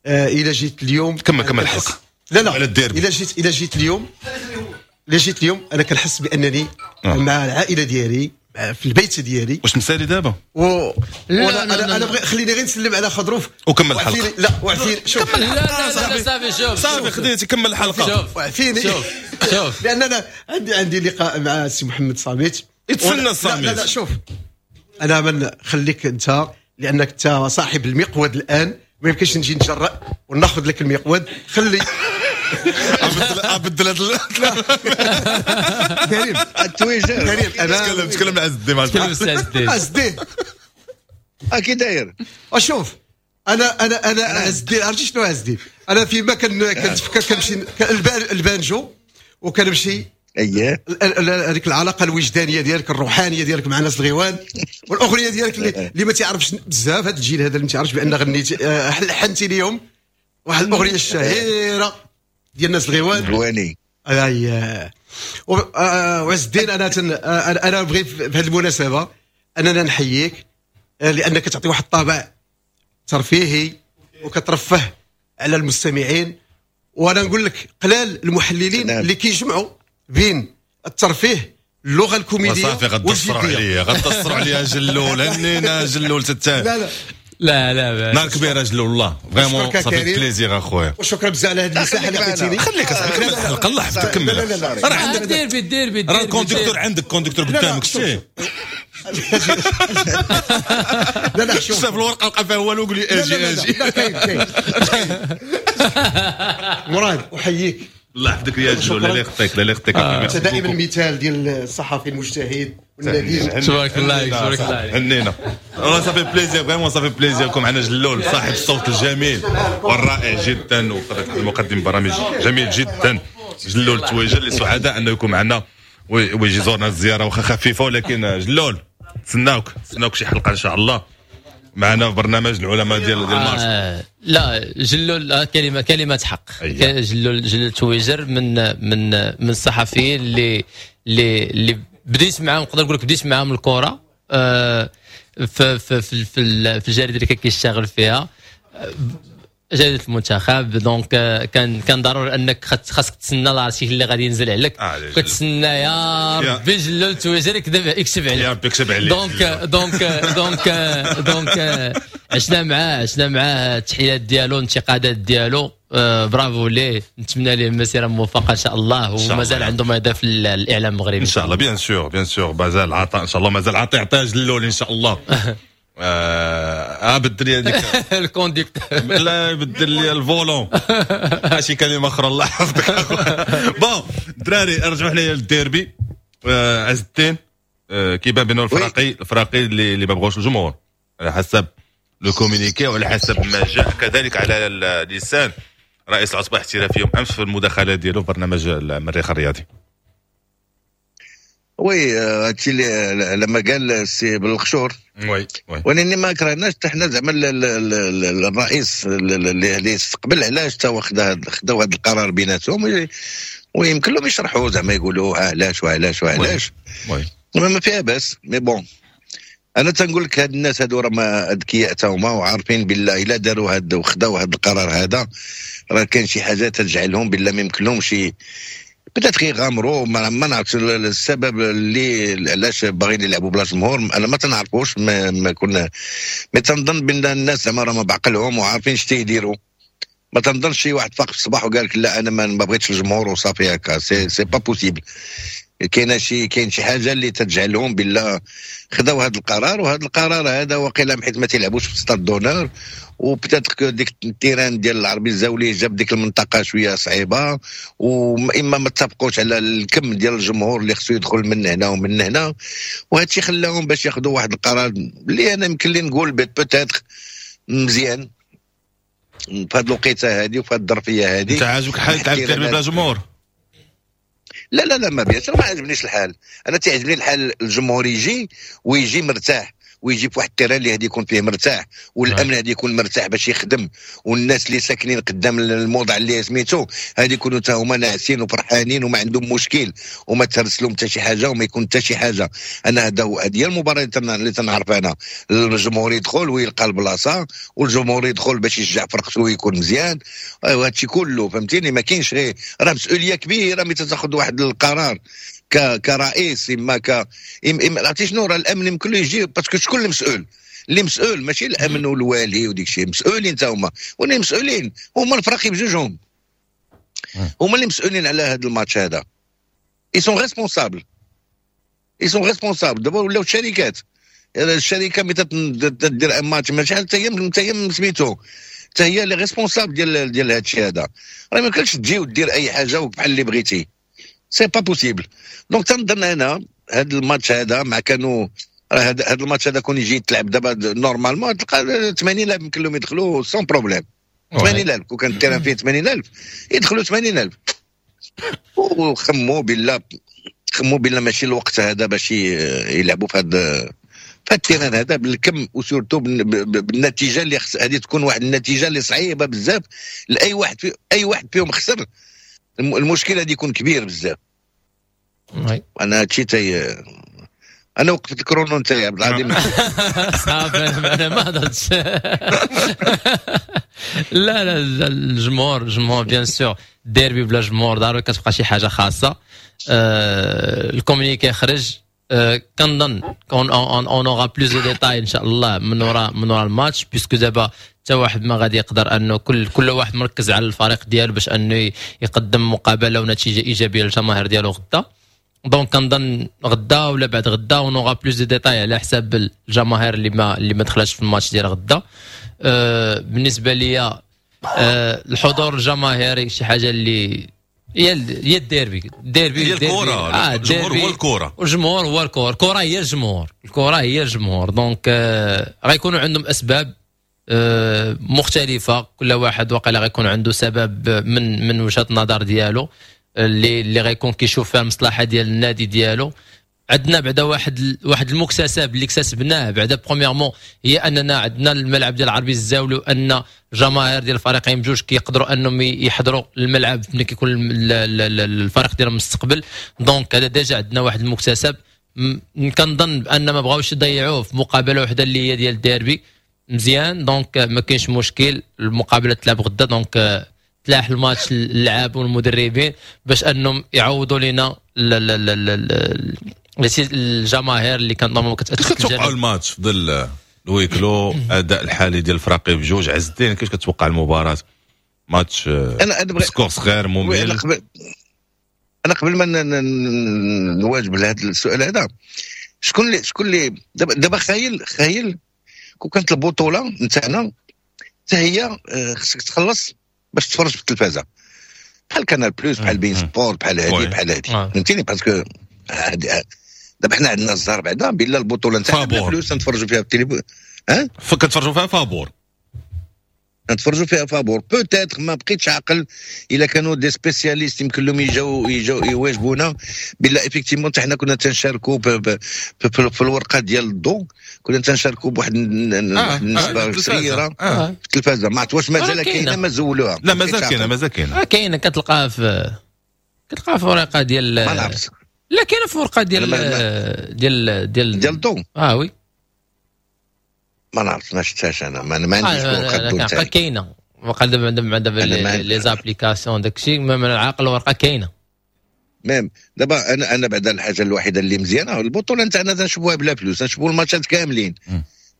آه الى جيت اليوم كمل كمل الحلقة. لا لا الى جيت الى جيت اليوم الى جيت اليوم انا كنحس بانني آه. مع العائلة ديالي في البيت ديالي. واش مسالي دابا؟ و... لا انا انا, أنا بغي خليني غير نسلم على خضروف وكمل الحلقة. لا وعفيني شوف كمل لا لا لا صافي شوف صافي خديتي كمل الحلقة. شوف وعفيني شوف شوف لان انا عندي عندي لقاء مع السي محمد صامت. يتسنى الصامت. لا لا شوف انا من خليك انت لانك انت صاحب المقود الان، ما يمكنش نجي نتجرأ وناخذ لك المقود. خلي ابدل هذا كريم التويجر. كريم انا تكلم تكلم مع عز الدين. تكلم عز الدين. عز الدين كي داير؟ اشوف انا انا انا عز الدين عرفتي شنو عز الدين؟ انا فيما كنتفكر كنمشي البانجو وكنمشي اييه هذيك العلاقة الوجدانية ديالك الروحانية ديالك مع ناس الغيوان والاغنية ديالك اللي, اللي ما تعرفش بزاف هذا الجيل هذا اللي ما تعرفش بان غنيتي لحنتي ليهم واحد الاغنية الشهيرة ديال الناس الغيوان غواني. اي وعز الدين انا تن... انا بغيت في هذه المناسبة اننا نحييك لانك تعطي واحد الطابع ترفيهي وكترفه على المستمعين، وانا نقول لك قلال المحللين اللي كيجمعوا بين الترفيه اللغة الكوميدية. صافي غتصروا عليا غتصروا عليا جلول هنينا جلول تتا. لا لا لا لا نهار كبير جلول والله vraiment ça fait plaisir اخويا، وشكرا بزاف على هذه المساحة اللي عطيتيني. خليك اصاحبي كمل الحلقة الله يحفظك كمل. راه عندك دير بي دير بي راه ال conducteur عندك conducteur قدامك شتي. لا لا شوف شاف الورقة لقى فيها والو قول لي اجي اجي. لا كاين كاين مراد احييك الله يحفظك يا جلول، لا يخطيك لا يخطيك. انت دائما مثال ديال الصحفي المجتهد والنبيل. تبارك الله عليك تبارك الله عليك هنينا والله ça fait plaisir vraiment ça fait plaisir كون معنا جلول صاحب الصوت الجميل والرائع جدا ومقدم برامج جميل جدا جلول التويجر اللي سعداء انه يكون معنا ويجي زورنا الزيارة واخا خفيفة، ولكن جلول تسناوك تسناوك شي حلقة ان شاء الله معنا في برنامج العلماء ديال ديال مارس. آه لا جلول كلمة كلمة حق. أيه. جلول جلول تويجر من من من الصحفيين اللي اللي اللي بديت معاهم، نقدر نقول لك بديت معاهم الكره آه في في في في الجريدة اللي كان كيشتغل فيها جريدة المنتخب. donc كان كان ضروري انك خاصك تسنى l'article اللي غادي ينزل عليك، كتسنى يا ربي جلول تويجر يكذب يكتب عليك يا ربي يكتب عليك. donc donc donc donc عشنا معاه عشنا معاه التحليلات ديالو الانتقادات ديالو. آه برافو ليه، نتمنى ليه مسيره موفقة ان شاء الله، ومازال عنده ما يضيف الاعلام المغربي ان شاء الله. bien sûr bien sûr، مازال عطاء ان شاء الله، مازال عطي عطية جلول ان شاء الله. اه بدل لي هذيك ال conducteur، لا بدل لي ال volant، ماشي كلمة اخرى، الله يحفظك. bon دراري، رجعوا حنايا للديربي. آه عز الدين، آه كيبان بانه الفراقي الفراقي اللي اللي ما بغاوش الجمهور على حسب le communiqué وعلى حسب ما جاء كذلك على لسان رئيس العصبة الاحترافية امس في المداخلة ديالو في برنامج المريخ الرياضي. oui، هادشي اللي لما قال السي بالخشور. oui oui ولكن ما كرهناش حتى حنا زعما الرئيس اللي استقبل، علاش تا خدا خداو هذا القرار بيناتهم، ويمكن لهم يشرحوا زعما يقولوا علاش وعلاش وعلاش. oui ما فيها باس، mais bon انا تنقول لك هاد الناس هادو راه ما اذكياء تا هما، وعارفين بالله الا داروا هاد وخداو هاد القرار هذا راه كاين شي حاجة تجعلهم بالله ما يمكن لهمش peut-être يغامروا. ما, ما نعرفش السبب اللي علاش باغيين يلعبوا بلا جمهور، انا ما تنعرفوش، ما, ما كنا mais تنظن بان الناس زعما راه ما بعقلهم وعارفين اش تيديروا. ما تنظنش شي واحد فاق في الصباح وقال لك لا انا ما بغيتش الجمهور وصافي هكا، c'est c'est pas possible. كاينه شي كاين شي حاجة اللي تجعلهم بالله خداو هذا القرار، وهذا القرار هذا وقيلا حيت ما تيلعبوش في stade d'honneur، و peut-être ديك ال terrain ديال العربي الزاولي جاب ديك المنطقة شوية صعيبه، واما ما اتفقوش على الكم ديال الجمهور اللي خصو يدخل من هنا ومن هنا، وهذا الشيء خلاهم باش ياخذوا واحد القرار اللي انا يمكن لي نقول peut-être مزيان في هذه الوقيته هذه وفي هذه الظرفية هذه. انت عاجبك الحال تلعب الديربي بلا جمهور؟ لا لا لا، ما bien sûr ما عجبنيش الحال. انا تعجبني الحال الجمهور يجي ويجي مرتاح، ويجي في واحد ال terrain اللي هادي يكون فيه مرتاح، والامن هادي يكون مرتاح باش يخدم، والناس اللي ساكنين قدام الموضع اللي سميتو هادي يكونوا تا هما ناعسين وفرحانين وما عندهم مشكل، وما ترسلهم حتى شي حاجة وما يكون حتى شي حاجه. انا هذا هذه هي المباراة اللي تنعرف انا، الجمهور يدخل ويلقى البلاصه، والجمهور يدخل باش يشجع فرقته ويكون مزيان، وهذا الشيء كله فهمتيني. ما كاينش غير راه مسؤولية كبيرة ملي تاخذ واحد القرار كرئيس اما ك إما عرفتي شنو، راه الامن يمكن له يجي، parce que شكون المسؤول؟ اللي مسؤول ماشي الامن والوالي وديك الشيء، مسؤولين تا هما، واللي مسؤولين هما الفراقي بجوجهم، هما اللي مسؤولين على هذا الماتش هذا. ils sont responsables، ils sont responsables. دابا ولاو الشركات، الشركة ملي تدير un match ماشي حتى هي حتى هي سميتو حتى هي les responsables ديال ديال هذا الشيء هذا. راه ما يمكنش تجي ودير اي حاجة بحال اللي بغيتي، c'est pas possible. donc تنظن انا هذا الماتش هذا مع كانوا راه هذا الماتش هذا كون يجي تلعب دابا normalement تلقى ثمانين ألف يمكن لهم يدخلوا sans problème. ثمانين ألف، كون كان ال terrain فيه ثمانين ألف يدخلوا ثمانين ألف. وخموا بالله، خموا بالله ماشي الوقت هذا باش يلعبوا في هذا في ال terrain هذا بالكم، و surtout بالنتيجة اللي هذه تكون واحد النتيجة اللي صعيبة بزاف لاي واحد في اي واحد فيهم خسر، المشكل هذه يكون كبير بزاف. انا هادشي تي انا وقفت ال chrono نتاعي عبد العظيم. صافي، انا ما هضرتش. لا لا، الجمهور الجمهور bien sûr، ديربي بلا جمهور ضروري كتبقى شي حاجة خاصه. آه ال communiqué خرج، آه كنظن on aura plus de détails ان شاء الله من وراء من وراء الماتش، puisque دابا حتى واحد ما غادي يقدر انه كل كل واحد مركز على الفريق ديالو باش انه يقدم مقابله ونتيجة ايجابية للجماهير ديالو غدا. donc كنظن غدا ولا بعد غدا on aura plus de détails على حساب الجماهير اللي ما اللي ما دخلتش في الماتش ديال غدا. أه بالنسبة لي أه الحضور الجماهيري شي حاجة اللي هي هي الديربي الديربي. هي الكره. آه الجمهور هو الكره. الجمهور هو الكره، الكره هي الجمهور، الكره هي الجمهور. donc آه غيكونوا عندهم اسباب آه مختلفه، كل واحد وقيلا غيكون عنده سبب من من وجهه النظر ديالو اللي اللي غيكون كيشوف فيها المصلحة ديال النادي ديالو. عندنا بعدا واحد واحد المكتسب اللي اكتسبناه بعدا، premièrement هي اننا عندنا الملعب ديال العربي الزاولي، وان الجماهير ديال الفريقين بجوج كيقدروا انهم يحضروا الملعب ملي كيكون الفريق ديالهم مستقبل. donc هذا déjà عندنا واحد المكتسب، كنظن بان ما بغاوش يضيعوه في مقابله وحده اللي هي ديال الديربي. مزيان، donc ما كاينش مشكل، المقابلة تلعب غدا، donc تلاح الماتش اللعاب والمدربين باش انهم يعوضوا لنا الجماهير اللي كانت normalement كتاثر. كتوقعوا الماتش في ظل ال huis clos، الاداء الحالي ديال الفراقي بجوج؟ عز الدين، كيفاش كتوقع المباراة؟ ماتش انا انا score صغير ممل. انا قبل انا قبل ما نواجب لهذا السؤال هذا، شكون اللي شكون اللي دابا دابا خايل خايل كون كانت البطولة نتاعنا حتى هي خصك تخلص باش تفرج في التلفازه، بحال Canal Plus، بحال beIN Sports، بحال هادي بحال هادي، فهمتيني؟ parce que دابا حنا عندنا الزهر بعدا بلا البطولة نتاعنا فلوس نتفرجوا فيها في التليفون. ها كنتفرجوا فيها فابور، نتفرجوا فيها فابور. peut-être ما بقيتش عاقل الا كانوا des spécialistes يمكن لهم يجاو يجاو يواجبونا بلا effectivement حتى حنا كنا تنشاركوا في الورقة ديال الضوء، كنا تنشاركوا بواحد النسبة صغيرة آه. في التلفازه. ما عرفت واش مازال كاينه، ما زولوها. لا مازال كاينه، مازال كاينه. كاينه، كتلقاها في كتلقاها في ورقة ديال، ما نعرفش. لا كاينه في ورقة ديال ديال ديال ديال الضوء. اه oui، ما نعرفش، ما شفتهاش انا، ما, ما عنديش ورقة الضوء تاعي. كاينه وقال دابا دابا دابا les applications داكشي، من العقل الورقة كاينه. même دابا انا انا بعدا الحاجة الوحيدة اللي مزيانه البطولة نتاعنا تنشوفوها بلا فلوس، نشوفوا الماتشات كاملين.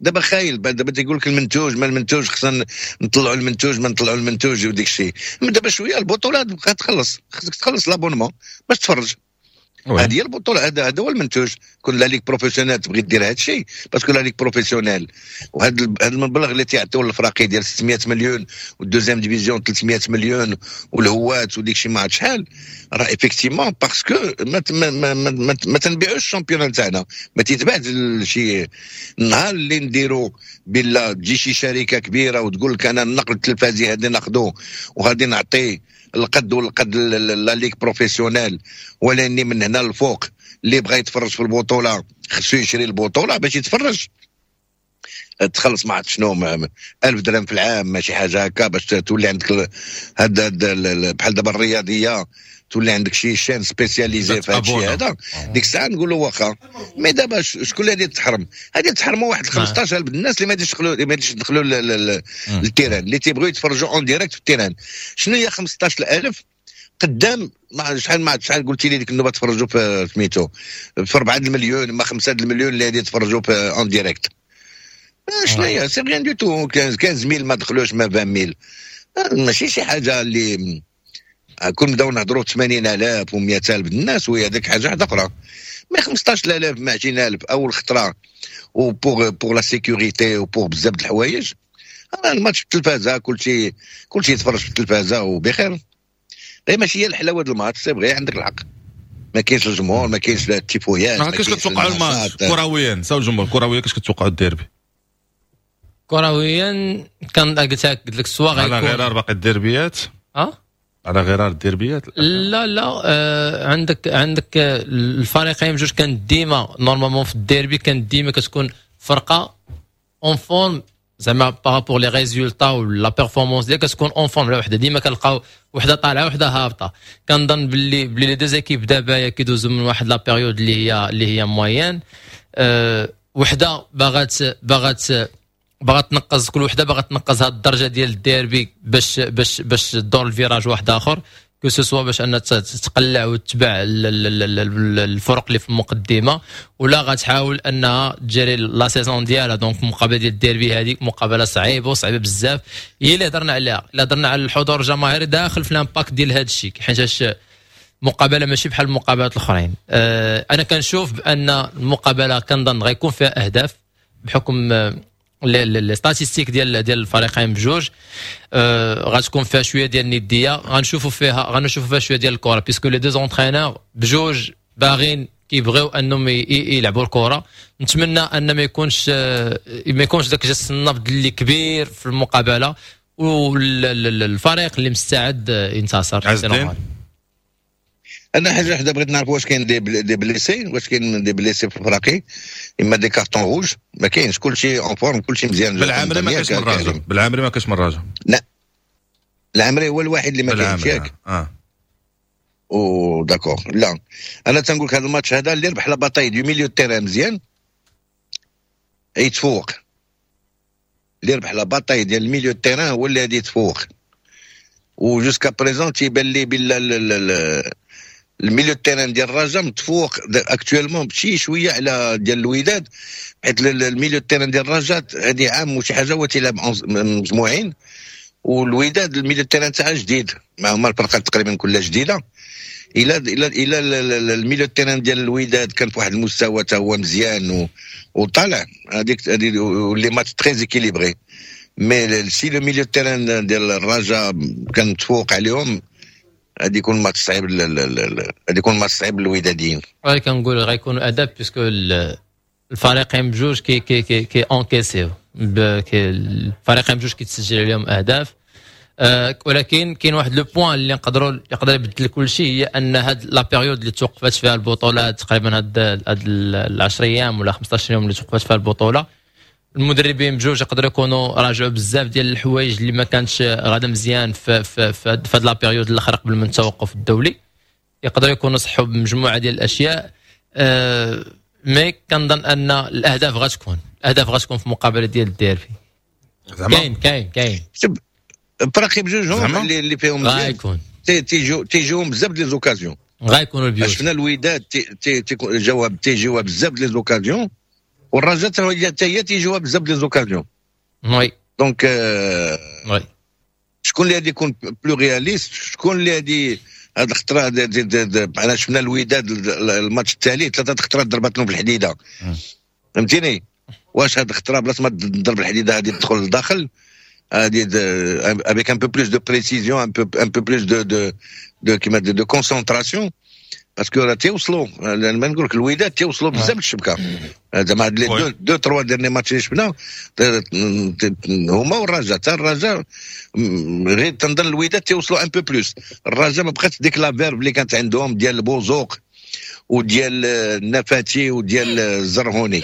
دابا خايل دابا تيقول لك المنتوج، ما المنتوج خصنا نطلعوا المنتوج، ما نطلعوا المنتوج وديك الشيء. دابا شوية البطولة تبقى تخلص، خصك تخلص l'abonnement باش تفرج. هذه هي البطوله، هذا هذا هو المنتوج. كون la ligue professionnelle تبغي دير هذا الشيء، parce que la ligue professionnelle وهذا هذا المبلغ اللي تيعطيو للفراقي ديال ستمية مليون وال deuxième division ثلاثمية مليون والهوات وديك الشيء ما عرفت شحال، راه effectivement parce que ما ما ما, ما, ما تنبيعوش ال championnat تاعنا، ما تيتباع شي. النهار اللي نديرو بلا تجي شي شركة كبيرة وتقول لك انا النقل التلفزي هذا ناخذوه وغادي نعطيه القد والقد la ligue professionnelle، ولاني من هنا للفوق اللي بغى يتفرج في البطولة خصو يشري البطولة باش يتفرج، تخلص ما عرفت شنو ألف درهم في العام ماشي حاجة هكا باش تولي عندك هاد بحال دابا الرياضية تولي عندك شي chaîne spécialisée في هذا الشيء هذا، ديك الساعة نقولوا واخا. mais دابا شكون اللي غادي تحرم؟ غادي تحرموا واحد خمسطاش ألف الناس اللي ما غاديش يدخلوا، ما غاديش يدخلوا لل terrain، اللي تيبغيو يتفرجوا en direct في ال terrain. شنو هي خمسطاش ألف قدام ما شحال ما شحال قلتي لي ديك النوبة تفرجوا في سميتو في أربعة المليون ما خمسة المليون اللي غادي يتفرجوا في en direct؟ شنو هي؟ c'est rien du tout. خمسطاش mille ما دخلوش، ما عشرين mille، ماشي شي حاجة اللي كون نبداو نهضروا ثمانين ألف ومية ألف الناس وهي هذيك حاجة واحدة اخرى. mais خمسطاش ألف ما عشرين ألف اول خطره و pour pour la sécurité و pour بزاف د الحوايج. الماتش في التلفازه كلشي كلشي يتفرج في التلفازه وبخير، غير ماشي هي الحلاوة ديال الماتش. c'est vrai عندك الحق، ما كاينش الجمهور، ما كاينش التيفويات. ما كاينش. كتوقعوا الماتش كرويا ساو الجمهور كرويا كاش كتوقعوا الديربي؟ كرويا كان قلت لك قلت لك soit غيكون على غرار باقي الديربيات. اه على غرار الديربيات. لا لا آه عندك عندك الفريقين بجوج كان ديما normalement في الديربي كان ديما كتكون فرقه en forme، زعما par rapport les résultats و la performance ديالها كتكون en forme على وحده، ديما كنلقاو وحده طالعه وحده هابطة. كنظن باللي بلي les deux équipes دابا كيدوزو من واحد la période اللي هي اللي هي moyenne. أه وحده باغات باغات باغا تنقز، كل وحده باغا تنقز هاد الدرجة ديال الديربي باش باش باش تدور ال virage واحد اخر، que ce soit باش ان تقلع وتتبع الفرق اللي في المقدمة، ولا غتحاول انها تجري la saison ديالها. donc المقابلة ديال الديربي هذيك مقابله صعيبة وصعيبه بزاف، هي اللي هضرنا عليها. الا هضرنا على الحضور الجماهيري داخل في l'impact ديال هذا الشيء، حيتاش مقابله ماشي بحال المقابلات الاخرين. أه انا كنشوف بان المقابلة كنظن غيكون فيها اهداف بحكم les statistiques ديال ديال الفريقين بجوج. أه غتكون فيها شوية ديال الندية، غنشوفوا فيها غنشوفوا فيها شوية ديال الكره، puisque les deux entraîneurs بجوج باغين كيبغيو انهم يلعبوا الكره. نتمنى ان ما يكونش ما يكونش داك جس النبض اللي كبير في المقابلة، والفريق اللي مستعد ينتصر. انا حاجة وحده بغيت نعرف، واش كاين des des blessés؟ واش كاين des blessés في الفراقي اما des cartons rouges؟ ما كاينش، كلشي en forme، كلشي مزيان. بالعامري ما كاينش من الرجاء، بالعامري ما كاينش من الرجاء. لا العامري هو الوحيد اللي ما كاينش، ياك؟ اه او d'accord. لا انا تنقول لك هذا الماتش هذا اللي ربح la bataille du milieu terrain مزيان يتفوق، اللي ربح la bataille ديال ال milieu terrain هو اللي غادي يتفوق. و jusqu'à présent تيبان لي بلا ال milieu terrain ديال الرجاء متفوق actuellement بشي شوية على ديال الوداد، حيت ال milieu terrain ديال الرجاء هذه عام وشي حاجة هو تيلعب مجموعين، والوداد ال milieu terrain تاعها جديد، مع هما الفرقة تقريبا كلها جديدة. الى الى الى ال milieu terrain ديال الوداد كان في واحد المستوى تا هو مزيان وطالع، هذيك les matchs très équilibrés. mais si le milieu terrain ديال الرجاء كان متفوق عليهم، غادي يكون ماتش صعيب، غادي يكون ماتش صعيب للوداديين. غير كنقول غيكونوا اداب puisque الفريقين بجوج كي كي كي كي encaisser يو، الفريقين بجوج كيتسجل عليهم اهداف. أه ولكن كاين واحد le point اللي نقدروا يقدر يبدل كل شيء، هي ان هاد la période اللي توقفت فيها البطولة تقريبا هاد هاد العشر ايام ولا خمسطاش يوم اللي توقفت فيها البطوله، المدربين بجوج يقدروا يكونوا راجعوا بزاف ديال الحوايج اللي ما كانتش غادا مزيان في في في هاد la période الاخر قبل من التوقف الدولي. يقدروا يكونوا صحوا بمجموعه ديال الاشياء. أه mais كنظن ان الاهداف غتكون، الاهداف غتكون في مقابله ديال الديربي. كاين كاين كاين فراقي بجوجهم اللي, اللي فيهم غايكون تيجيو تيجيوهم بزاف les occasions. غايكونوا ال buts. شفنا الوداد جاوها تيجيوها بزاف les occasions، والرجاء حتى هي تيجيوها بزاف les occasions. oui. donc oui شكون اللي غادي يكون plus réaliste؟ شكون اللي غادي هاد الخطرة؟ انا شفنا الوداد الماتش التالي ثلاثة خطرات ضربت لهم في الحديده، فهمتيني؟ واش هاد الخطرة بلاصة ما تضرب الحديدة غادي تدخل للداخل، غادي avec un peu plus de précision، un peu un peu plus de de de كيما de, de concentration؟ parce que راه تيوصلوا، ما نقول لك الوداد تيوصلوا بزاف للشبكه. زعما هاد les deux deux trois derniers matchs اللي شفنا هما والرجاء، حتى الرجاء، غير تنظن الوداد تيوصلوا un peu plus. الرجاء ما بقاتش ديك la verve اللي كانت عندهم ديال البوزوق وديال النفاتي وديال الزرهوني.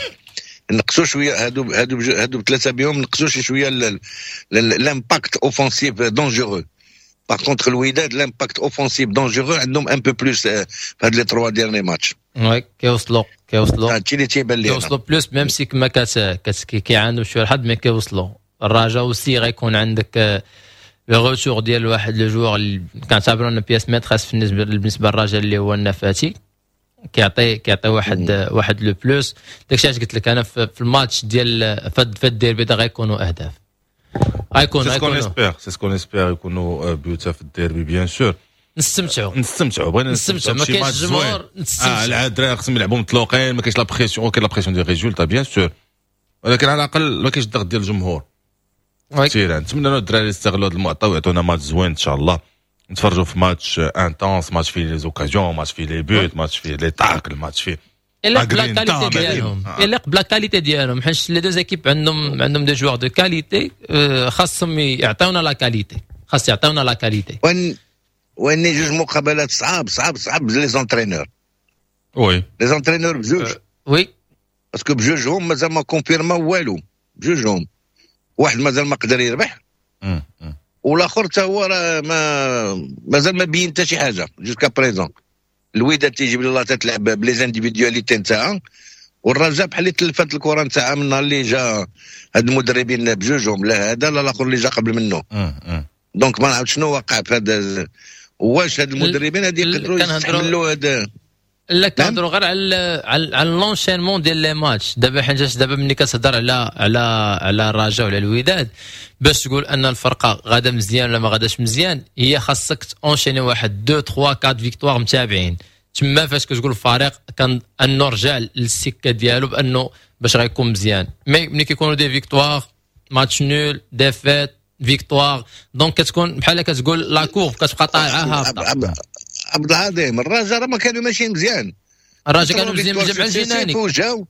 نقصوا شوية هادو هادو هادو بثلاثة بهم، نقصوا شي شوية l'impact offensif dangereux. par contre الوداد l'impact offensif dangereux عندهم un peu plus في هاد les trois derniers matchs. oui، كيوصلوا كيوصلوا. هادشي اللي تيبان لي. كيوصلوا plus، même si كما كت كيعاندوا شوية الحظ، mais كيوصلوا. الرجاء aussi غيكون عندك le retour ديال واحد le joueur اللي كنعتبرو une pièce maîtresse بالنسبة بالنسبة للرجاء اللي هو النفاتي، كيعطي كيعطي واحد واحد le plus. داكشي علاش قلت لك انا في الماتش ديال في الديربي غيكونوا اهداف، غيكونوا. c'est ce qu'on espère، c'est ce qu'on espère، يكونوا buts في الديربي bien sûr. نستمتعوا. نستمتعوا، بغينا نستمتعوا، ما كاينش جمهور، نستمتعوا. اه الدراري خصهم يلعبوا مطلوقين، ما كاينش la pression. كاين la pression ديال résultat bien sûr، ولكن على الاقل ما كاينش الضغط ديال الجمهور. كثير نتمنى الدراري يستغلوا هذا المعطى ويعطونا ماتش زوين ان شاء الله. نتفرجوا في match intense، match فيه les occasions، match فيه les buts، match فيه les tacles، match فيه يليق ب la qualité ديالهم، يليق ب la qualité ديالهم، حيت les deux équipes عندهم عندهم des joueurs de qualité، خاصهم يعطيونا la qualité، خاص يعطيونا la qualité. وين وين جوج مقابلات صعاب صعاب صعاب les entraîneurs. oui. les entraîneurs بجوج. oui. parce que بجوجهم مازال ما confirma والو. بجوجهم واحد مازال ما قدر يربح، والاخر حتى هو راه ما مازال ما بين حتى شي حاجة jusqu'à présent. الوداد تيجيب الله تتلعب ب les individualités نتاعها، والرجاء بحال اللي تلفت الكره نتاعها من النهار اللي جا هاد المدربين بجوجهم، لا هذا لا الاخر اللي جا قبل منه. donc ما نعرف شنو وقع في هذا، واش هاد المدربين هادي يقدروا يستحملوا هذا؟ لا، كنهضروا غير على على على l'enchaînement ديال les matchs دابا، حيت دابا ملي كتهضر على على على الرجاء ولا الوداد، باش تقول ان الفرقة غادا مزيان ولا ما غاداش مزيان، هي خاصك enchaîner واحد اثنين ثلاثة أربعة victoires متابعين. تما فاش كتقول الفريق كان انه رجع للسكه ديالو بانه باش غيكون مزيان. mais ملي كيكونوا des victoires، match nul، défaite، victoire، donc كتكون بحال كتقول la courbe كتبقى طالعه هابطه. عبد العظيم، الرجاء راه ما كانوا ماشيين مزيان. الرجاء كانوا مزيان مع الجناني. وجاو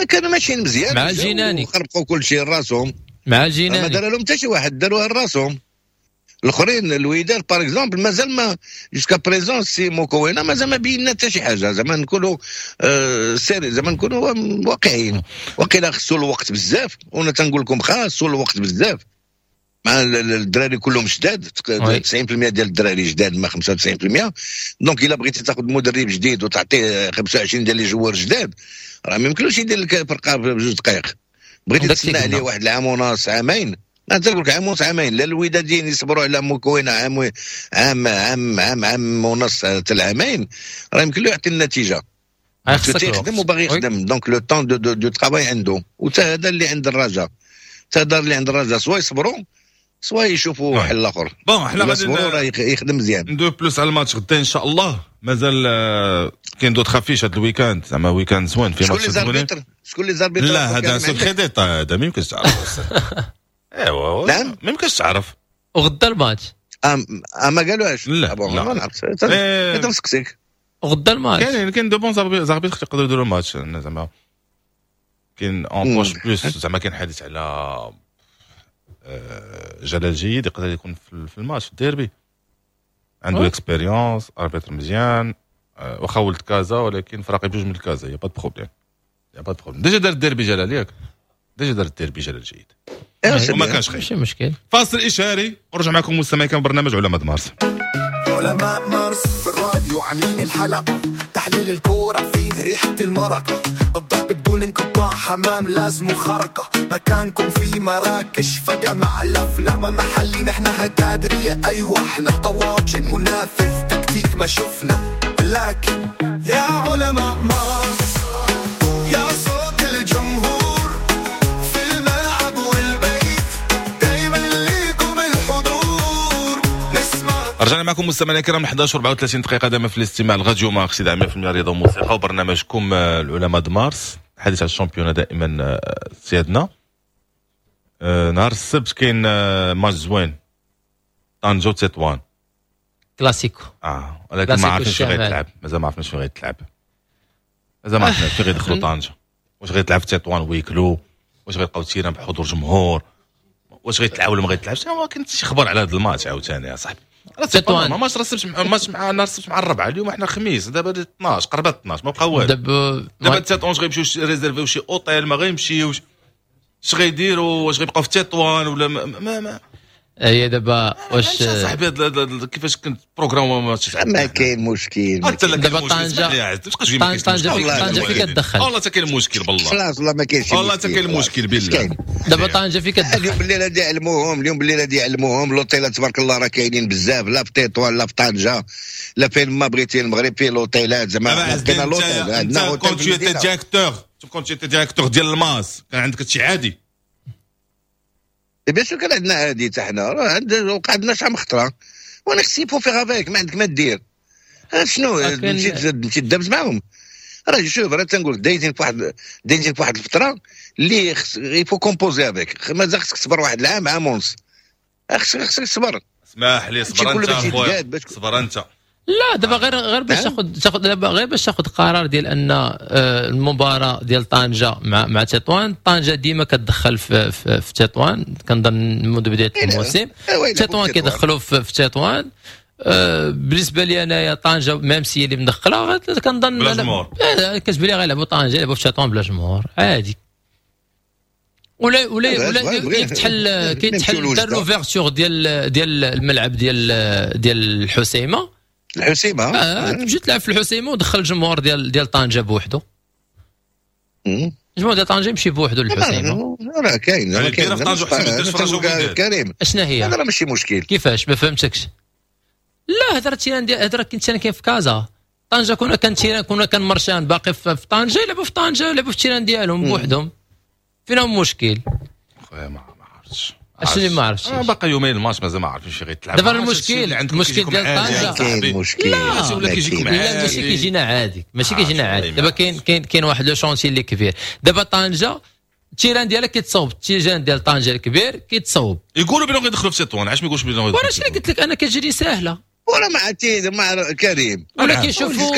كانوا ماشيين مزيان. مع الجناني. خربقوا كل شيء راسهم. مع الجناني. ما دار لهم حتى شي واحد، داروها لراسهم. الاخرين الوداد par exemple مازال ما jusqu'à présent سي موكوينا مازال ما بينا حتى شي حاجه. زعما نكونوا آه sérieux، زعما نكونوا واقعيين، وقيلا خصو الوقت بزاف. وانا تنقول لكم خاصو الوقت بزاف مع الدراري كلهم جداد، تسعين في المية ديال الدراري جداد ما خمسة وتسعين في المية. donc الا بغيتي تاخذ مدرب جديد وتعطيه خمسة وعشرين ديال les joueurs جداد، راه ما يمكنلوش يدير لك فرقه بجوج دقائق. بغيتي تسنى عليه واحد العام ونص، عامين، انا تنقول لك عام ونص، عامين. لا الوداديين يصبروا على موكوينه عام عام عام عام عام ونص حتى العامين، راه يمكن له يعطي النتيجه. تيخدم وباغي يخدم، donc le temps de de, de travail عنده، وتا هذا اللي عند الرجاء، حتى هذا اللي عند الرجاء، soit يصبروا. soit يشوفوا حل اخر. bon حنا غادي يخدم مزيان ندوي plus على الماتش غدا ان شاء الله. مازال كاين d'autres affiches هذا ال week-end، زعما week-end زوين في ماتش زوين. شكون les arbitres؟ لا هذا secret d'état، هذا ما يمكنش تعرف. ايوا نعم ما يمكنش تعرف. وغدا الماتش ام ما قالوهاش. لا ما نعرفش، انت نسقسيك. وغدا الماتش كاين كاين deux bons arbitres يقدروا يديروا الماتش، زعما كاين en poche plus، زعما كاين حديث على جلال جيد يقدر يكون في الماتش في الديربي، عنده expérience، arbitre مزيان، واخا ولد كازا ولكن فراقي بجوج من كازا، y a pas problème y a pas problème. déjà دار الديربي جلال ياك، déjà دار الديربي جلال جيد وما كانش خايب، ماشي مشكل. فاصل اشهاري ونرجع معكم مستمعين كان برنامج علماء مارس. علماء مارس في الراديو عاملين الحلقة، تحليل الكورة فيه ريحه المرق، الضرب بدون انقطاع، حمام لازم خرقة، مكانكم في مراكش فجمع الأفلام محلي، نحن هكادرية أيوة احنا طواجن، منافذ تكتيك ما شفنا، لكن يا علماء مارس يا صوت الجمهور في الملعب والبيت، دايما ليكم الحضور نسمع. رجعنا معكم مستمعينا الكرام إحدى عشر وأربعة وثلاثين دقيقة دائما في الاستماع لراديو مارس إذاعة مية بالمية رياضة وموسيقى وبرنامجكم العلماء د مارس. حديث على ال championnat دائما سيادنا. نهار السبت كاين ماتش زوين، طنجة وتطوان، كلاسيكو. اه ولكن ما عرفناش فين غيتلعب، مازال ما عرفناش فين غيتلعب، مازال ما عرفناش فين غيدخلوا طنجة، واش غيتلعب في تطوان ويكلو، واش غيلقاو terrain بحضور جمهور، واش غيتلعب ولا ما غيتلعبش. ما كنت شي خبر على هذا الماتش عاوتاني يا صاحبي. تطوان ما ماتش راه ماتش مع نهار السبت مع الربعه، اليوم احنا الخميس دابا اثناش، قربت اثناش ما بقى والو. دابا دابا تطوان غيمشيو réserver شي اوتيل، ما غيمشيوش، اش غيديروا؟ واش غيبقاو في تطوان ولا ما ما, ما. هي دابا واش صاحبي كيفاش كنت programme ما ما كاين مشكل دابا طنجة طنجة طنجة فين كتدخل؟ والله حتى كاين مشكل بالله، خلاص والله ما كاينش، والله حتى كاين مشكل بالله. دابا طنجة فين كتدخل؟ اليوم بالليل غادي يعلموهم، اليوم بالليل غادي يعلموهم. لوطيلات تبارك الله راه كاينين بزاف، لا في تطوان لا في طنجة لا فين ما بغيتي، المغرب فيه لوطيلات زعما كاين لوطيل عندنا hôtel. كنت directeur كنت directeur ديال الماس كان عندك هادشي عادي؟ bien sûr كان عندنا عادي، حتى حنا راه وقع عندنا شحال من خطره، وانا خصني faut faire avec، ما عندك ما دير. شنو مشيت مشيت دابز معاهم؟ راه شوف راه تنقول دايزين في واحد دايزين في واحد الفترة اللي il faut composer avec، مازال خصك تصبر واحد العام عام ونص، خصك خصك تصبر. اسمح لي صبر انت اخويا، صبر انت. لا دابا غير غير باش تاخذ تاخذ دابا غير باش تاخذ قرار ديال ان المباراة ديال طنجه مع مع تطوان، طنجه ديما كتدخل في في, في تطوان، كنظن منذ بداية الموسم تطوان كيدخلوا في, في تطوان. بالنسبة لي انايا طنجه même si اللي مدخله كنظن بلا جمهور، كتبان لي غيلعبوا طنجه يلعبوا في تطوان بلا جمهور عادي. ولا ولا ولا كيتحل كيتحل دار l'ouverture ديال ديال الملعب ديال ديال الحسيمه الحسيمه آه تمشي تلعب في الحسيمه ودخل الجمهور ديال ديال طنجه بوحدو، الجمهور ديال طنجه يمشي بوحدو للحسيمه. راه كاين راه كاين كريم. اشنا هي؟ هذا راه ماشي مشكل. كيفاش ما فهمتكش؟ لا هضره ال terrain ديال هضره كنت انا كاين في كازا، طنجه كنا كان terrain كنا كان مرشان باقي في طنجه، يلعبوا في طنجه يلعبوا في ال terrain ديالهم بوحدهم، فين هو المشكل؟ خويا ما عرفتش اش اللي ما عرفتش. آه باقي يومين الماتش مازال ما عارفين شي غيتلعب. دابا المشكل المشكل ديال طنجه كاين مشكل. لا ولا كيجيكم عادي؟ لا ماشي كيجينا عادي، ماشي كيجينا عادي. دابا كاين كاين كاين واحد le chantier اللي كبير. دابا طنجه ال terrain ديالها كيتصوب، ال terrain ديال طنجه الكبير كيتصوب. يقولوا بانهم غيدخلوا في تطوان، علاش ما يقولوش بانهم غيدخلوا؟ وانا شنو قلت لك انا كتجري ساهله ولا ما عرفتي ما كريم ولا كيشوفوا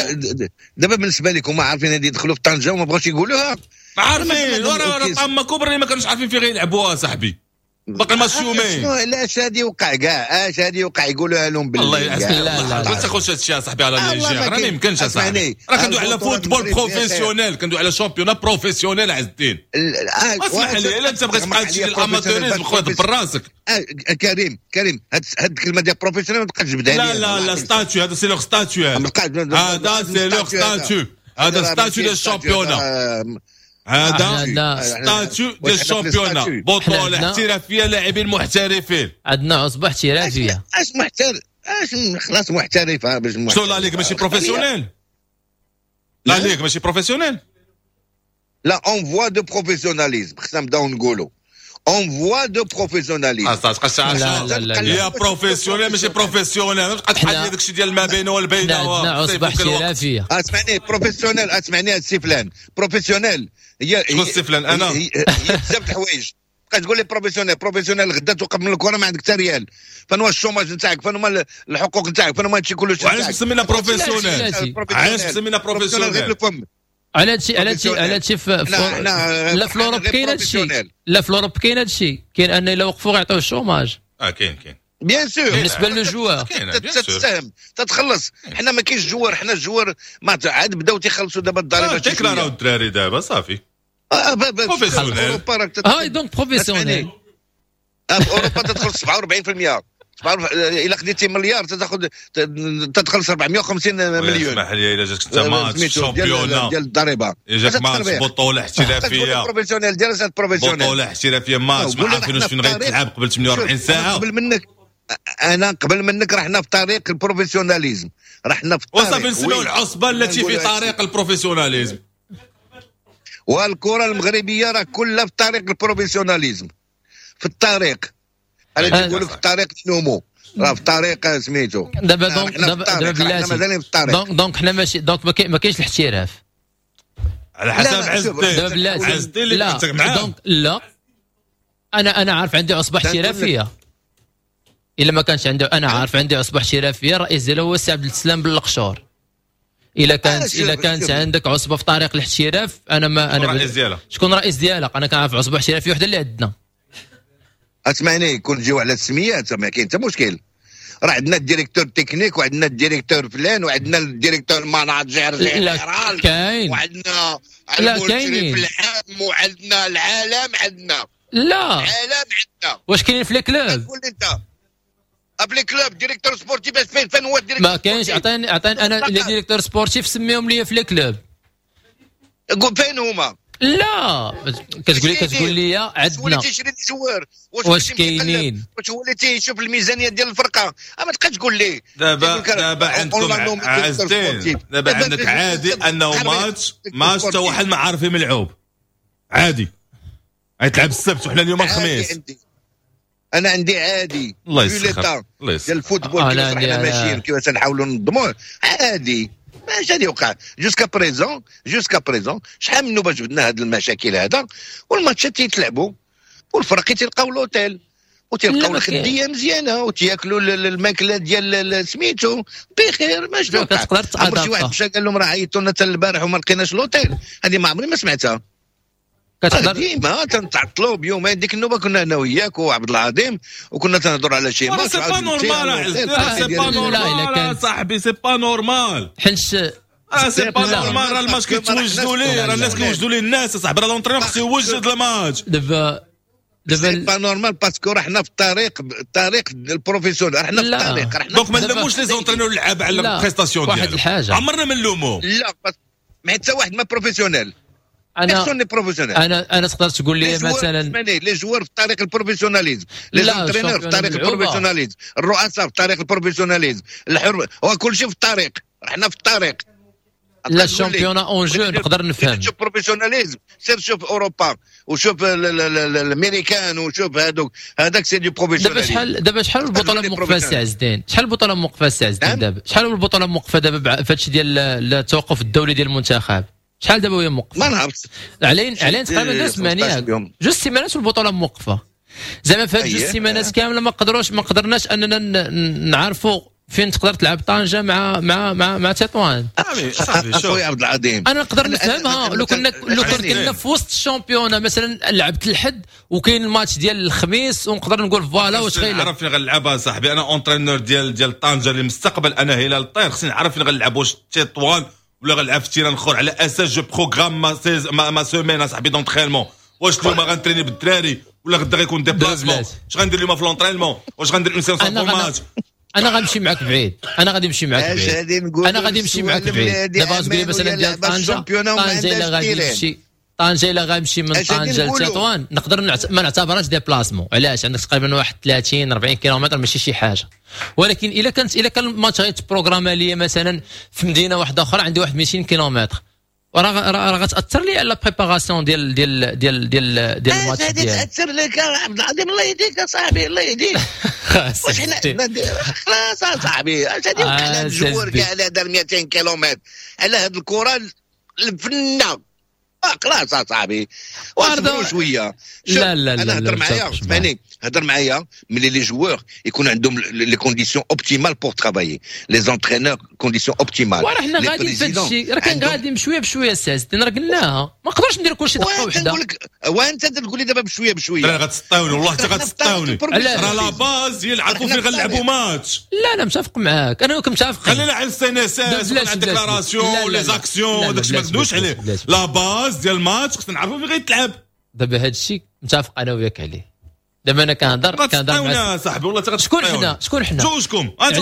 دابا بالنسبة لكم ما عارفين غادي يدخلوا في طنجه وما بغاوش يقولوها. ما عارفين ورا ورا طامة كبرى اللي ما كانوش عارفين فين غيلعبوها صاحبي. باقي الماتش يومين. شنو علاش هادي يوقع كاع؟ اش هادي يوقع يقولوها لهم بالله. الله يعزك. لا لا ما تاخذش هادشي يا صاحبي على légère، راه ما يمكنش اصاحبي. راه كندوي على football professionnel، كندوي على championnat professionnel عز الدين. اسمح لي الا انت بغيت تبقى تمشي لل amateurisme خويا دبر راسك. كريم كريم هاد هاد الكلمة ديال professionnel ما تبقاش تجبدها. لا لا لا statut هذا c'est leur statut، هذا c'est leur statut، هذا statut ديال ال championnat، هذا statut ديال ال championnat، بطولة احترافية لاعبين محترفين. عندنا عصبة احترافية. اش محترف؟ اش خلاص محترفة باش شنو la ligue ماشي professionnelle؟ la ligue ماشي professionnelle؟ لا en voie de professionnalisme، خصنا نبداو نقولوا en voie de professionnalisme. لا لا لا يا professionnel ماشي professionnel، تبقى تحل داك الشيء ديال ما بين والبين. عندنا عصبه احترافية. اسمعني professionnel، اسمعني السي فلان professionnel هي شكون السي فلان؟ انا هي بزاف د الحوايج. تبقى تقول لي professionnel professionnel، غدا توقف من الكره ما عندك حتى ريال. فين هو ال chômage نتاعك؟ فين هما الحقوق نتاعك؟ فين هما هادشي كله؟ وعلاش مسمينا professionnel؟ علاش مسمينا professionnel؟ على هادشي على هادشي على هادشي في لا في l'Europe كاين هادشي، لا في l'Europe كاين هادشي، كاين ان الا وقفوا غيعطيو ال chômage. اه كاين كاين bien sûr بالنسبة les joueurs تتساهم تتخلص. حنا ما كاينش joueur، حنا ال joueur ما عاد بداو تيخلصوا دابا الضريبة. تيكلاراو الدراري دابا صافي. اه professionnel هاي donc professionnel. في اوروبا تدخل سبعة وأربعين بالمية، الا خديتي مليار تاخذ تدخل أربعمية وخمسين مليون. اسمح لي، الا جاتك انت match championnat ديال الضريبة، جاك ماتش بطوله احترافية professionnel ديال professionnel، بطوله احترافية ماتش ما عارفينوش فين غيتلعب قبل ثمانية وأربعين ساعة. قبل منك انا قبل منك رحنا في طريق ال professionnalisme، رحنا في الطريق وصافي نسميو العصبة التي في طريق ال professionnalisme. والكره المغربية راه كلها في طريق ال professionnalisme، في الطريق. انا تنقول في الطريق نومو راه في طريق سميتو دابا. donc دابا دابا بلاتي، donc donc حنا ماشي donc ما كاينش الاحتراف على حسب عز الدين. عز الدين اللي كنت معاه. donc لا انا انا عارف عندي عصبه احترافية، الا ما كانش عنده انا عارف عندي عصبه احترافية الرئيس ديالها هو السي عبد السلام بالقشور. الا كانت الا كانت عندك عصبه في طريق الاحتراف، انا ما انا الرئيس ديالها شكون الرئيس ديالها؟ انا كنعرف عصبه احترافية وحده اللي عندنا. اسمعني، كون نجيو على السميات ما كاين حتى مشكل. راه عندنا ال directeur technique وعندنا ال directeur فلان وعندنا ال directeur manager général كاين، وعندنا المشرف العام وعندنا العالم، عندنا لا العالم عندنا. واش كاينين في les clubs؟ قول انت اب les clubs directeur sportif فين فين هو ال directeur؟ ما كاينش. عطيني عطيني انا les directeurs sportifs سميهم لي في les clubs. قول فين هما؟ لا كتقول لي كتقول لي عندنا اللي تيشري ال joueurs واش كاينين؟ واش هو اللي تيشوف الميزانية ديال الفرقة؟ ما تبقاش تقول لي دابا دابا عندكم عزتين، دابا عندك عادي انه match match حتى واحد ما عارف ملعوب، عادي غيتلعب السبت وحنا اليوم الخميس. انا عندي عادي الله يسخر الله يسخر ديال ال football كيفاش حنا ماشيين كيفاش نحاولوا ننظموه عادي. ماشي غادي يوقع jusqu'à présent، jusqu'à présent شحال من نوبه جبدنا هاد المشاكل هذا، والماتشات تيتلعبوا والفرق تيلقاو l'hôtel وتلقاو الخديه مزيانه وتياكلوا الماكلة ديال سميتو بخير. ما شنو تقدر شي واحد مشى قال لهم راه عيطوا لنا حتى البارح وما لقيناش l'hôtel، هذه ما عمري ما سمعتها. كتقدر ديما تنتعطلوا بيومين. ديك النوبة كنا انا وياك وعبد العظيم وكنا تنهضروا على شي match. c'est pas normal، c'est pas normal صاحبي، c'est pas normal. حنش اه c'est pas normal. راه الماتش كيتوجدوا ليه، راه الناس كيوجدوا ليه الناس صاحبي، راه l'entraîneur خصو يوجد الماتش. دابا دابا c'est pas normal parce que رحنا في الطريق، الطريق ال professionnel، رحنا في الطريق. رحنا donc ما نلوموش les entraîneurs اللعاب على ال prestation ديالهم، واحد الحاجة عمرنا ما نلوموهم. لا ما حتى واحد ما professionnel. انا انا انا تقدر تقول لي مثلا les joueurs في طريق ال professionnalisme، les entraîneurs في طريق ال professionnalisme، الرؤساء في طريق ال professionnalisme، الحر هو كل شيء في الطريق. رحنا في الطريق. لا ال championnat en jeu نقدر نفهم. شوف professionnalisme، سير شوف اوروبا وشوف الامريكان وشوف هذوك، هذاك c'est du professionnalisme. دابا شحال دابا شحال البطولة موقفه السي عز الدين؟ شحال البطولة موقفه السي عز الدين دابا؟ شحال البطولة موقفه دابا في هادشي ديال التوقف الدولي ديال المنتخب؟ شحال دابا وهي موقفه؟ ما نعرفش. علين علين تقريبا جوج سيمانات، جوج سيمانات والبطوله موقفه. زعما في هاد جوج سيمانات كاملة ما قدروش، ما قدرناش اننا نعرفوا فين تقدر تلعب طنجه مع مع مع مع تطوان. صافي شوف خويا عبد العظيم، انا نقدر نفهمها لو كنا لو كنا في وسط ال championnat مثلا لعبت الحد وكاين الماتش ديال الخميس ونقدر نقول voilà واش غيلعب. نعرف فين غنلعبها صاحبي، انا entraîneur ديال ديال طنجه للمستقبل، انا هلال الطير خصني نعرف فين غنلعب، واش تطوان ولا غنلعب في terrain اخر، على اساس je programme ma ma, ma semaine صاحبي d'entraînement. واش اليوم غنتريني بالدراري ولا غدا غيكون déplacement؟ اش غندير اليوم في l'entraînement؟ واش غندير une séance match؟ انا غنمشي معاك بعيد، انا غادي نمشي معاك بعيد، انا غادي نمشي معاك بعيد. دابا تقول لي مثلا ديال طنجه، طنجه الا غادي نمشي طنجه الا غنمشي من طنجه لتطوان نقدر نعت... ما نعتبرهاش déplacement. علاش؟ عندك تقريبا واحد ثلاثين أربعين كيلومتر ماشي شي حاجة. ولكن الا كانت الا كان الماتش غيتبروغراما ليا مثلا في مدينة واحدة اخرى عندي واحد مئتين كيلومتر، راه راه غتاثر لي على la préparation ديال ديال ديال ديال ديال الماتش ديالي. تاثر لك يا عبد العظيم، الله يهديك يا صاحبي، الله يهديك. واش حنا خلاص اصاحبي، اش غادي يوقع لهاد ال joueur كاع اللي دار مئتين كيلومتر على هاد الكره الفنه؟ خلاص اصاحبي واصبروا شوية. لا لا لا، انا هضر معايا، اسمعني، هضر معايا ملي les joueurs يكون عندهم les conditions optimales pour travailler، les entraîneurs conditions optimales. وراه حنا غاديين في هذا الشيء، راه كان غادي بشوية بشوية الساس، راه قلناها ما نقدرش ندير كلشي دقه وحده. وانت تقول لي دابا بشوية بشوية، راه غتسطاوني والله حتى غتسطاوني. راه la base يلعبوا فين غنلعبوا ماتش. لا لا متفق معاك، انا متفق. خلينا على ال CNSS، عندك la ration، les actions، داكشي ما تدوش عليه. la base ديال الماتش خصنا نعرفوا فين غيتلعب. دابا هذا الشيء متفق انا وياك عليه. دابا انا كنهضر كنهضر مع صاحبي والله حتى شكون حنا شكون حنا جوجكم. انت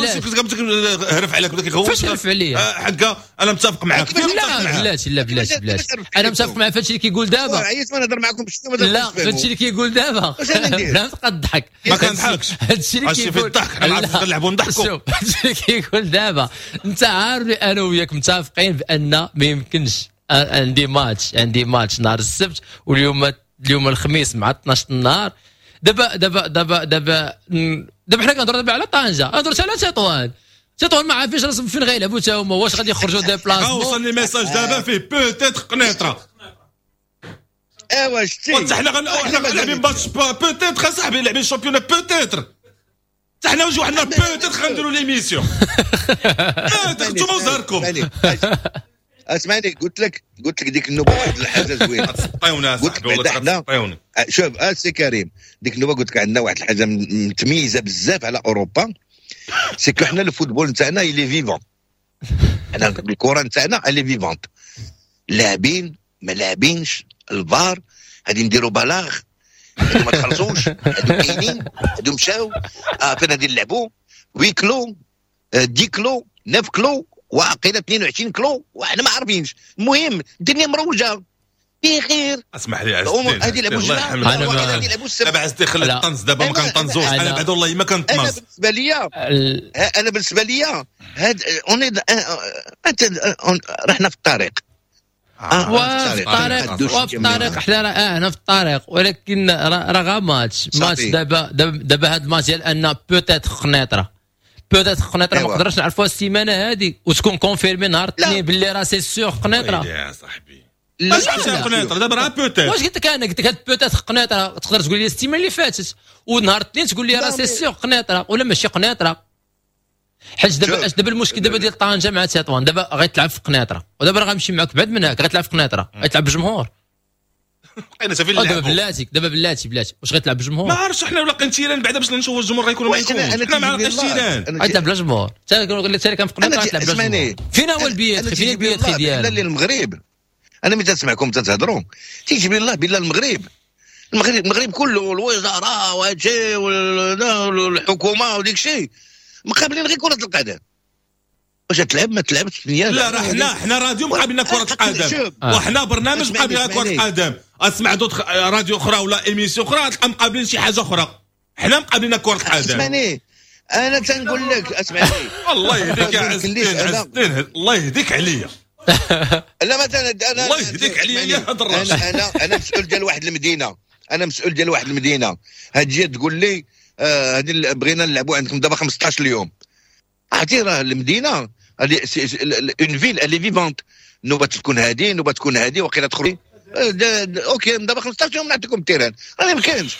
هرف عليك بداك يغوت. فاش هرف عليا؟ حكا انا متفق معاك. لا بلاتي، لا بلاتي بلاتي، انا متفق مع فهادشي اللي كيقول دابا. عييت ما نهضر معاكم شنو. لا فهادشي اللي كيقول دابا لا تبقى تضحك. ما كنضحكش، هادشي اللي كيقول الضحك، حنا عارفين نلعبوا نضحكوا. شوف هادشي اللي كيقول دابا، انت عارف انا وياك متفقين بان ما يمكنش عندي ماتش، عندي ماتش نهار السبت واليوم اليوم الخميس مع اثناش النهار. دابا دابا دابا دابا دابا حنا كنهضروا دابا على طنجه، هضرت على تطوان. تطوان ما عارفينش راسهم فين غيلعبوا تا هما، واش غادي يخرجوا déplacement. وصلني message دابا فيه peut-être قنيطره. ايوا شتي حتى حنا حنا لاعبين match peut-être اصاحبي، لاعبين championnat peut-être. حتى حنا وجو حنا peut-être غنديروا l'émission. نتوما وزهركم. اسمعني، قلت لك قلت لك ديك النوبة واحد الحاجة زوينة. غتسطيونا صاحبي والله غتسطيونا. شوف اسي كريم، ديك النوبة قلت لك عندنا واحد الحاجة متميزة بزاف على اوروبا، c'est que حنا ال football نتاعنا il est vivant. حنا الكره نتاعنا elle est vivante، لاعبين ما لاعبينش، الفار غادي نديروا بلاغ، هادو ما تخلصوش، هادو كاينين، هادو مشاو، اه فين غادي نلعبوا؟ huis clos، dix clos، neuf clos، وعقيله اثنين وعشرين clos، وحنا ما عارفينش. المهم الدنيا مروجه بخير. اسمح لي عز الدين، هذه لعبوا الله يرحمك. دابا عز الدين خلي الطنز، دابا ما كنطنزوش انا بعد والله ما كنطنز. انا بالنسبة ليا انا بالنسبة ليا هاد on انت رحنا في الطريق، وفي الطريق وفي الطريق حنا راه احنا في الطريق، ولكن راه غا match match دابا دابا هاد الماتش ديال ان peut-être قنيطره peut-être قنيطره ما نقدرش نعرفوها السيمانة هذه وتكون confirmée نهار الاثنين باللي راه c'est sûr قنيطره. يا صاحبي باش عرفتي قنيطره دابا راه peut-être. واش قلت لك انا؟ قلت لك هاد peut-être قنيطره تقدر تقول لي السيمانة اللي فاتت، ونهار الاثنين تقول لي راه c'est sûr قنيطره ولا ماشي قنيطره. حيت دابا اش دابا المشكل دابا ديال طنجه مع تطوان، دابا غيتلعب في قنيطره، ودابا راه غنمشي معاك بعد من هاك غيتلعب في قنيطره، غيتلعب بالجمهور. بقينا فين دابا بلاتي دابا بلاتي بلاتي واش غيتلعب بالجمهور؟ ما عرفتش حنا ولا لقينا terrain بعدا باش نشوفوا الجمهور غيكونوا ما يكونوش. حنا ما عرفناش terrain. غيتلعب بلا جمهور، حتى كان في قنيطره غيتلعب بلا جمهور. فين هو ال billet؟ فين ال billet ديالو؟ لا المغرب انا ملي تسمعكم تتهضروا تيجيب لي الله بالله المغرب المغرب المغرب كله الوزراء وهادشي والحكومة وديك الشيء مقابلين غير كره القدم. واش تلعب ما تلعبش؟ لا راه حنا حنا راديو مقابلنا كره القدم، وحنا برنامج مقابلنا كره القدم. اسمع d'autres راديو اخرى ولا émission اخرى تلقى مقابلين شي حاجة اخرى. حنا مقابلنا كره القدم. اسمعني انا تنقول لك اسمعني. الله يهديك يا عز الدين، عز الدين الله يهديك عليا. لا مثلا انا الله يهديك عليا يا هاد الراجل. انا انا انا مسؤول ديال واحد المدينة، انا مسؤول ديال واحد المدينة. هاد تقول لي هادي آه بغينا نلعبوا عندكم دابا خمسطاش اليوم. عرفتي راه المدينة une ville elle est vivante، نوبه تكون هادي نوبه تكون هادي وقيله تخرج. OK دابا خمسطاش يوم نعطيكم ال terrain، راه ما يمكنش.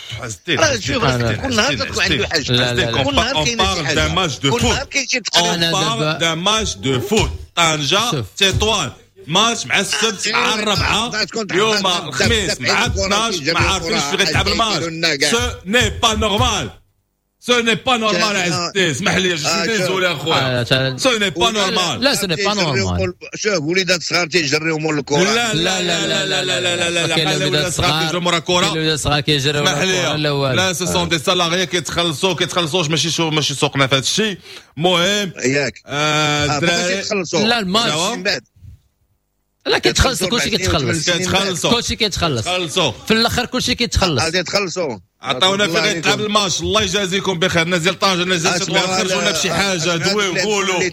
راه شوف كل نهار تكون عنده حاجة، كل نهار كاين شي حاجة، كل نهار كاين شي تقرير. d'un match de foot طنجه تطوان، ماتش مع السبت مع الربعه، يوم الخميس مع اثناش، ما عارفينش فين غيتلعب الماتش. ce n'est pas normal، ce n'est pas normal عز الدين، اسمح لي je suis désolé اخويا، ce n'est pas normal. لا ce n'est pas normal. شوف وليدات صغار تيجريو مور الكره. لا لا لا لا لا لا لا لا لا وليدات صغار كيجريو مور الكره، وليدات صغار كيجريو مور الكره. لا لا ce sont des salariés كيتخلصوا كيتخلصوش، ماشي شو ماشي سوقنا في هذا الشيء. المهم ياك الدراري لا الماتش لا كيتخلص، كلشي كيتخلص، كلشي كيتخلص في الاخر، كلشي كيتخلص. غادي يتخلصوا. عطاونا فين غيتلعب الماتش، الله يجازيكم بخير. الناس ديال طنجه الناس ديال تطوان خرجوا لنا بشي حاجة، دويو قولوا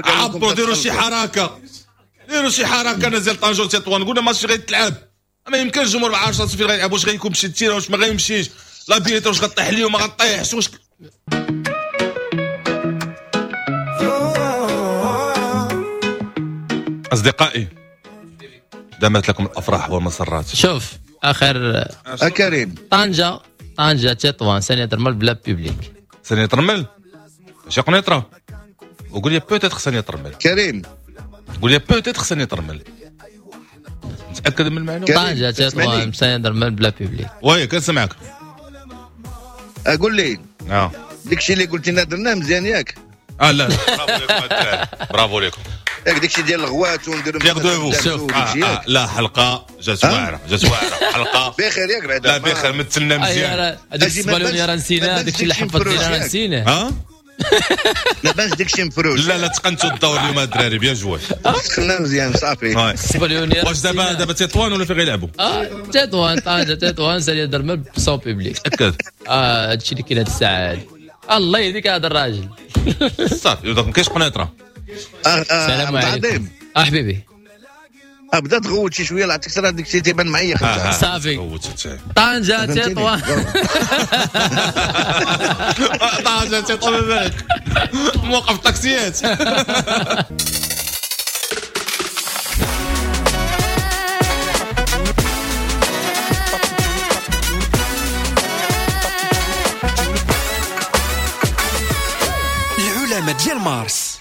عبروا ديروا شي حركة. ديروا شي حركة نزل طنجه وتطوان، قلنا ماتش غيتلعب، ما يمكنش الجمهور ما عارفش راسو فين غيلعب، واش غيكون مشي ال terrain واش ما غيمشيش، la billetterie واش غطيح اليوم ما غطيحش، واش اصدقائي دامت لكم الافراح والمسرات. شوف اخر كريم طنجه طنجه تطوان سانية الرمل بلا public. سانية الرمل ماشي قنيطره، وقول لي peut-être سانية الرمل. كريم قول لي peut-être سانية الرمل، متاكد من المعلومة؟ طنجه تطوان سانية الرمل بلا public. oui كنسمعك. اقول لي اه داكشي اللي قلت لنا درناه مزيان ياك؟ اه لا برافو لكم الدراري، برافو لكم. ياك داكشي ديال الغوات ونديرو آه آه لا حلقة جات واعرة، جات واعرة حلقة بخير ياك بعدا. لا بخير مثلنا مزيان. هذاك السبالوني راه نسيناه، داكشي اللي حفظت لينا راه نسيناه. ها لا باش داكشي مفروش. لا لا تقنتوا الدور اليوم الدراري، bien joué، تقنا مزيان صافي. السبالوني واش دابا دابا تطوان ولا فين غيلعبوا؟ اه تطوان طنجه تطوان سانية الرمل sans public. تاكد اه هادشي اللي كاين هاد الساعة هادي. الله يهديك هذا الراجل. صافي donc ما كاينش قنيطره. السلام عليكم اه حبيبي. بدا تغوت شي شوية لعطيك راه داك الشيء تيبان معايا. آه صافي طنجه تطوان طنجه تطوان بالك موقف طاكسيات. العلماء ديال مارس.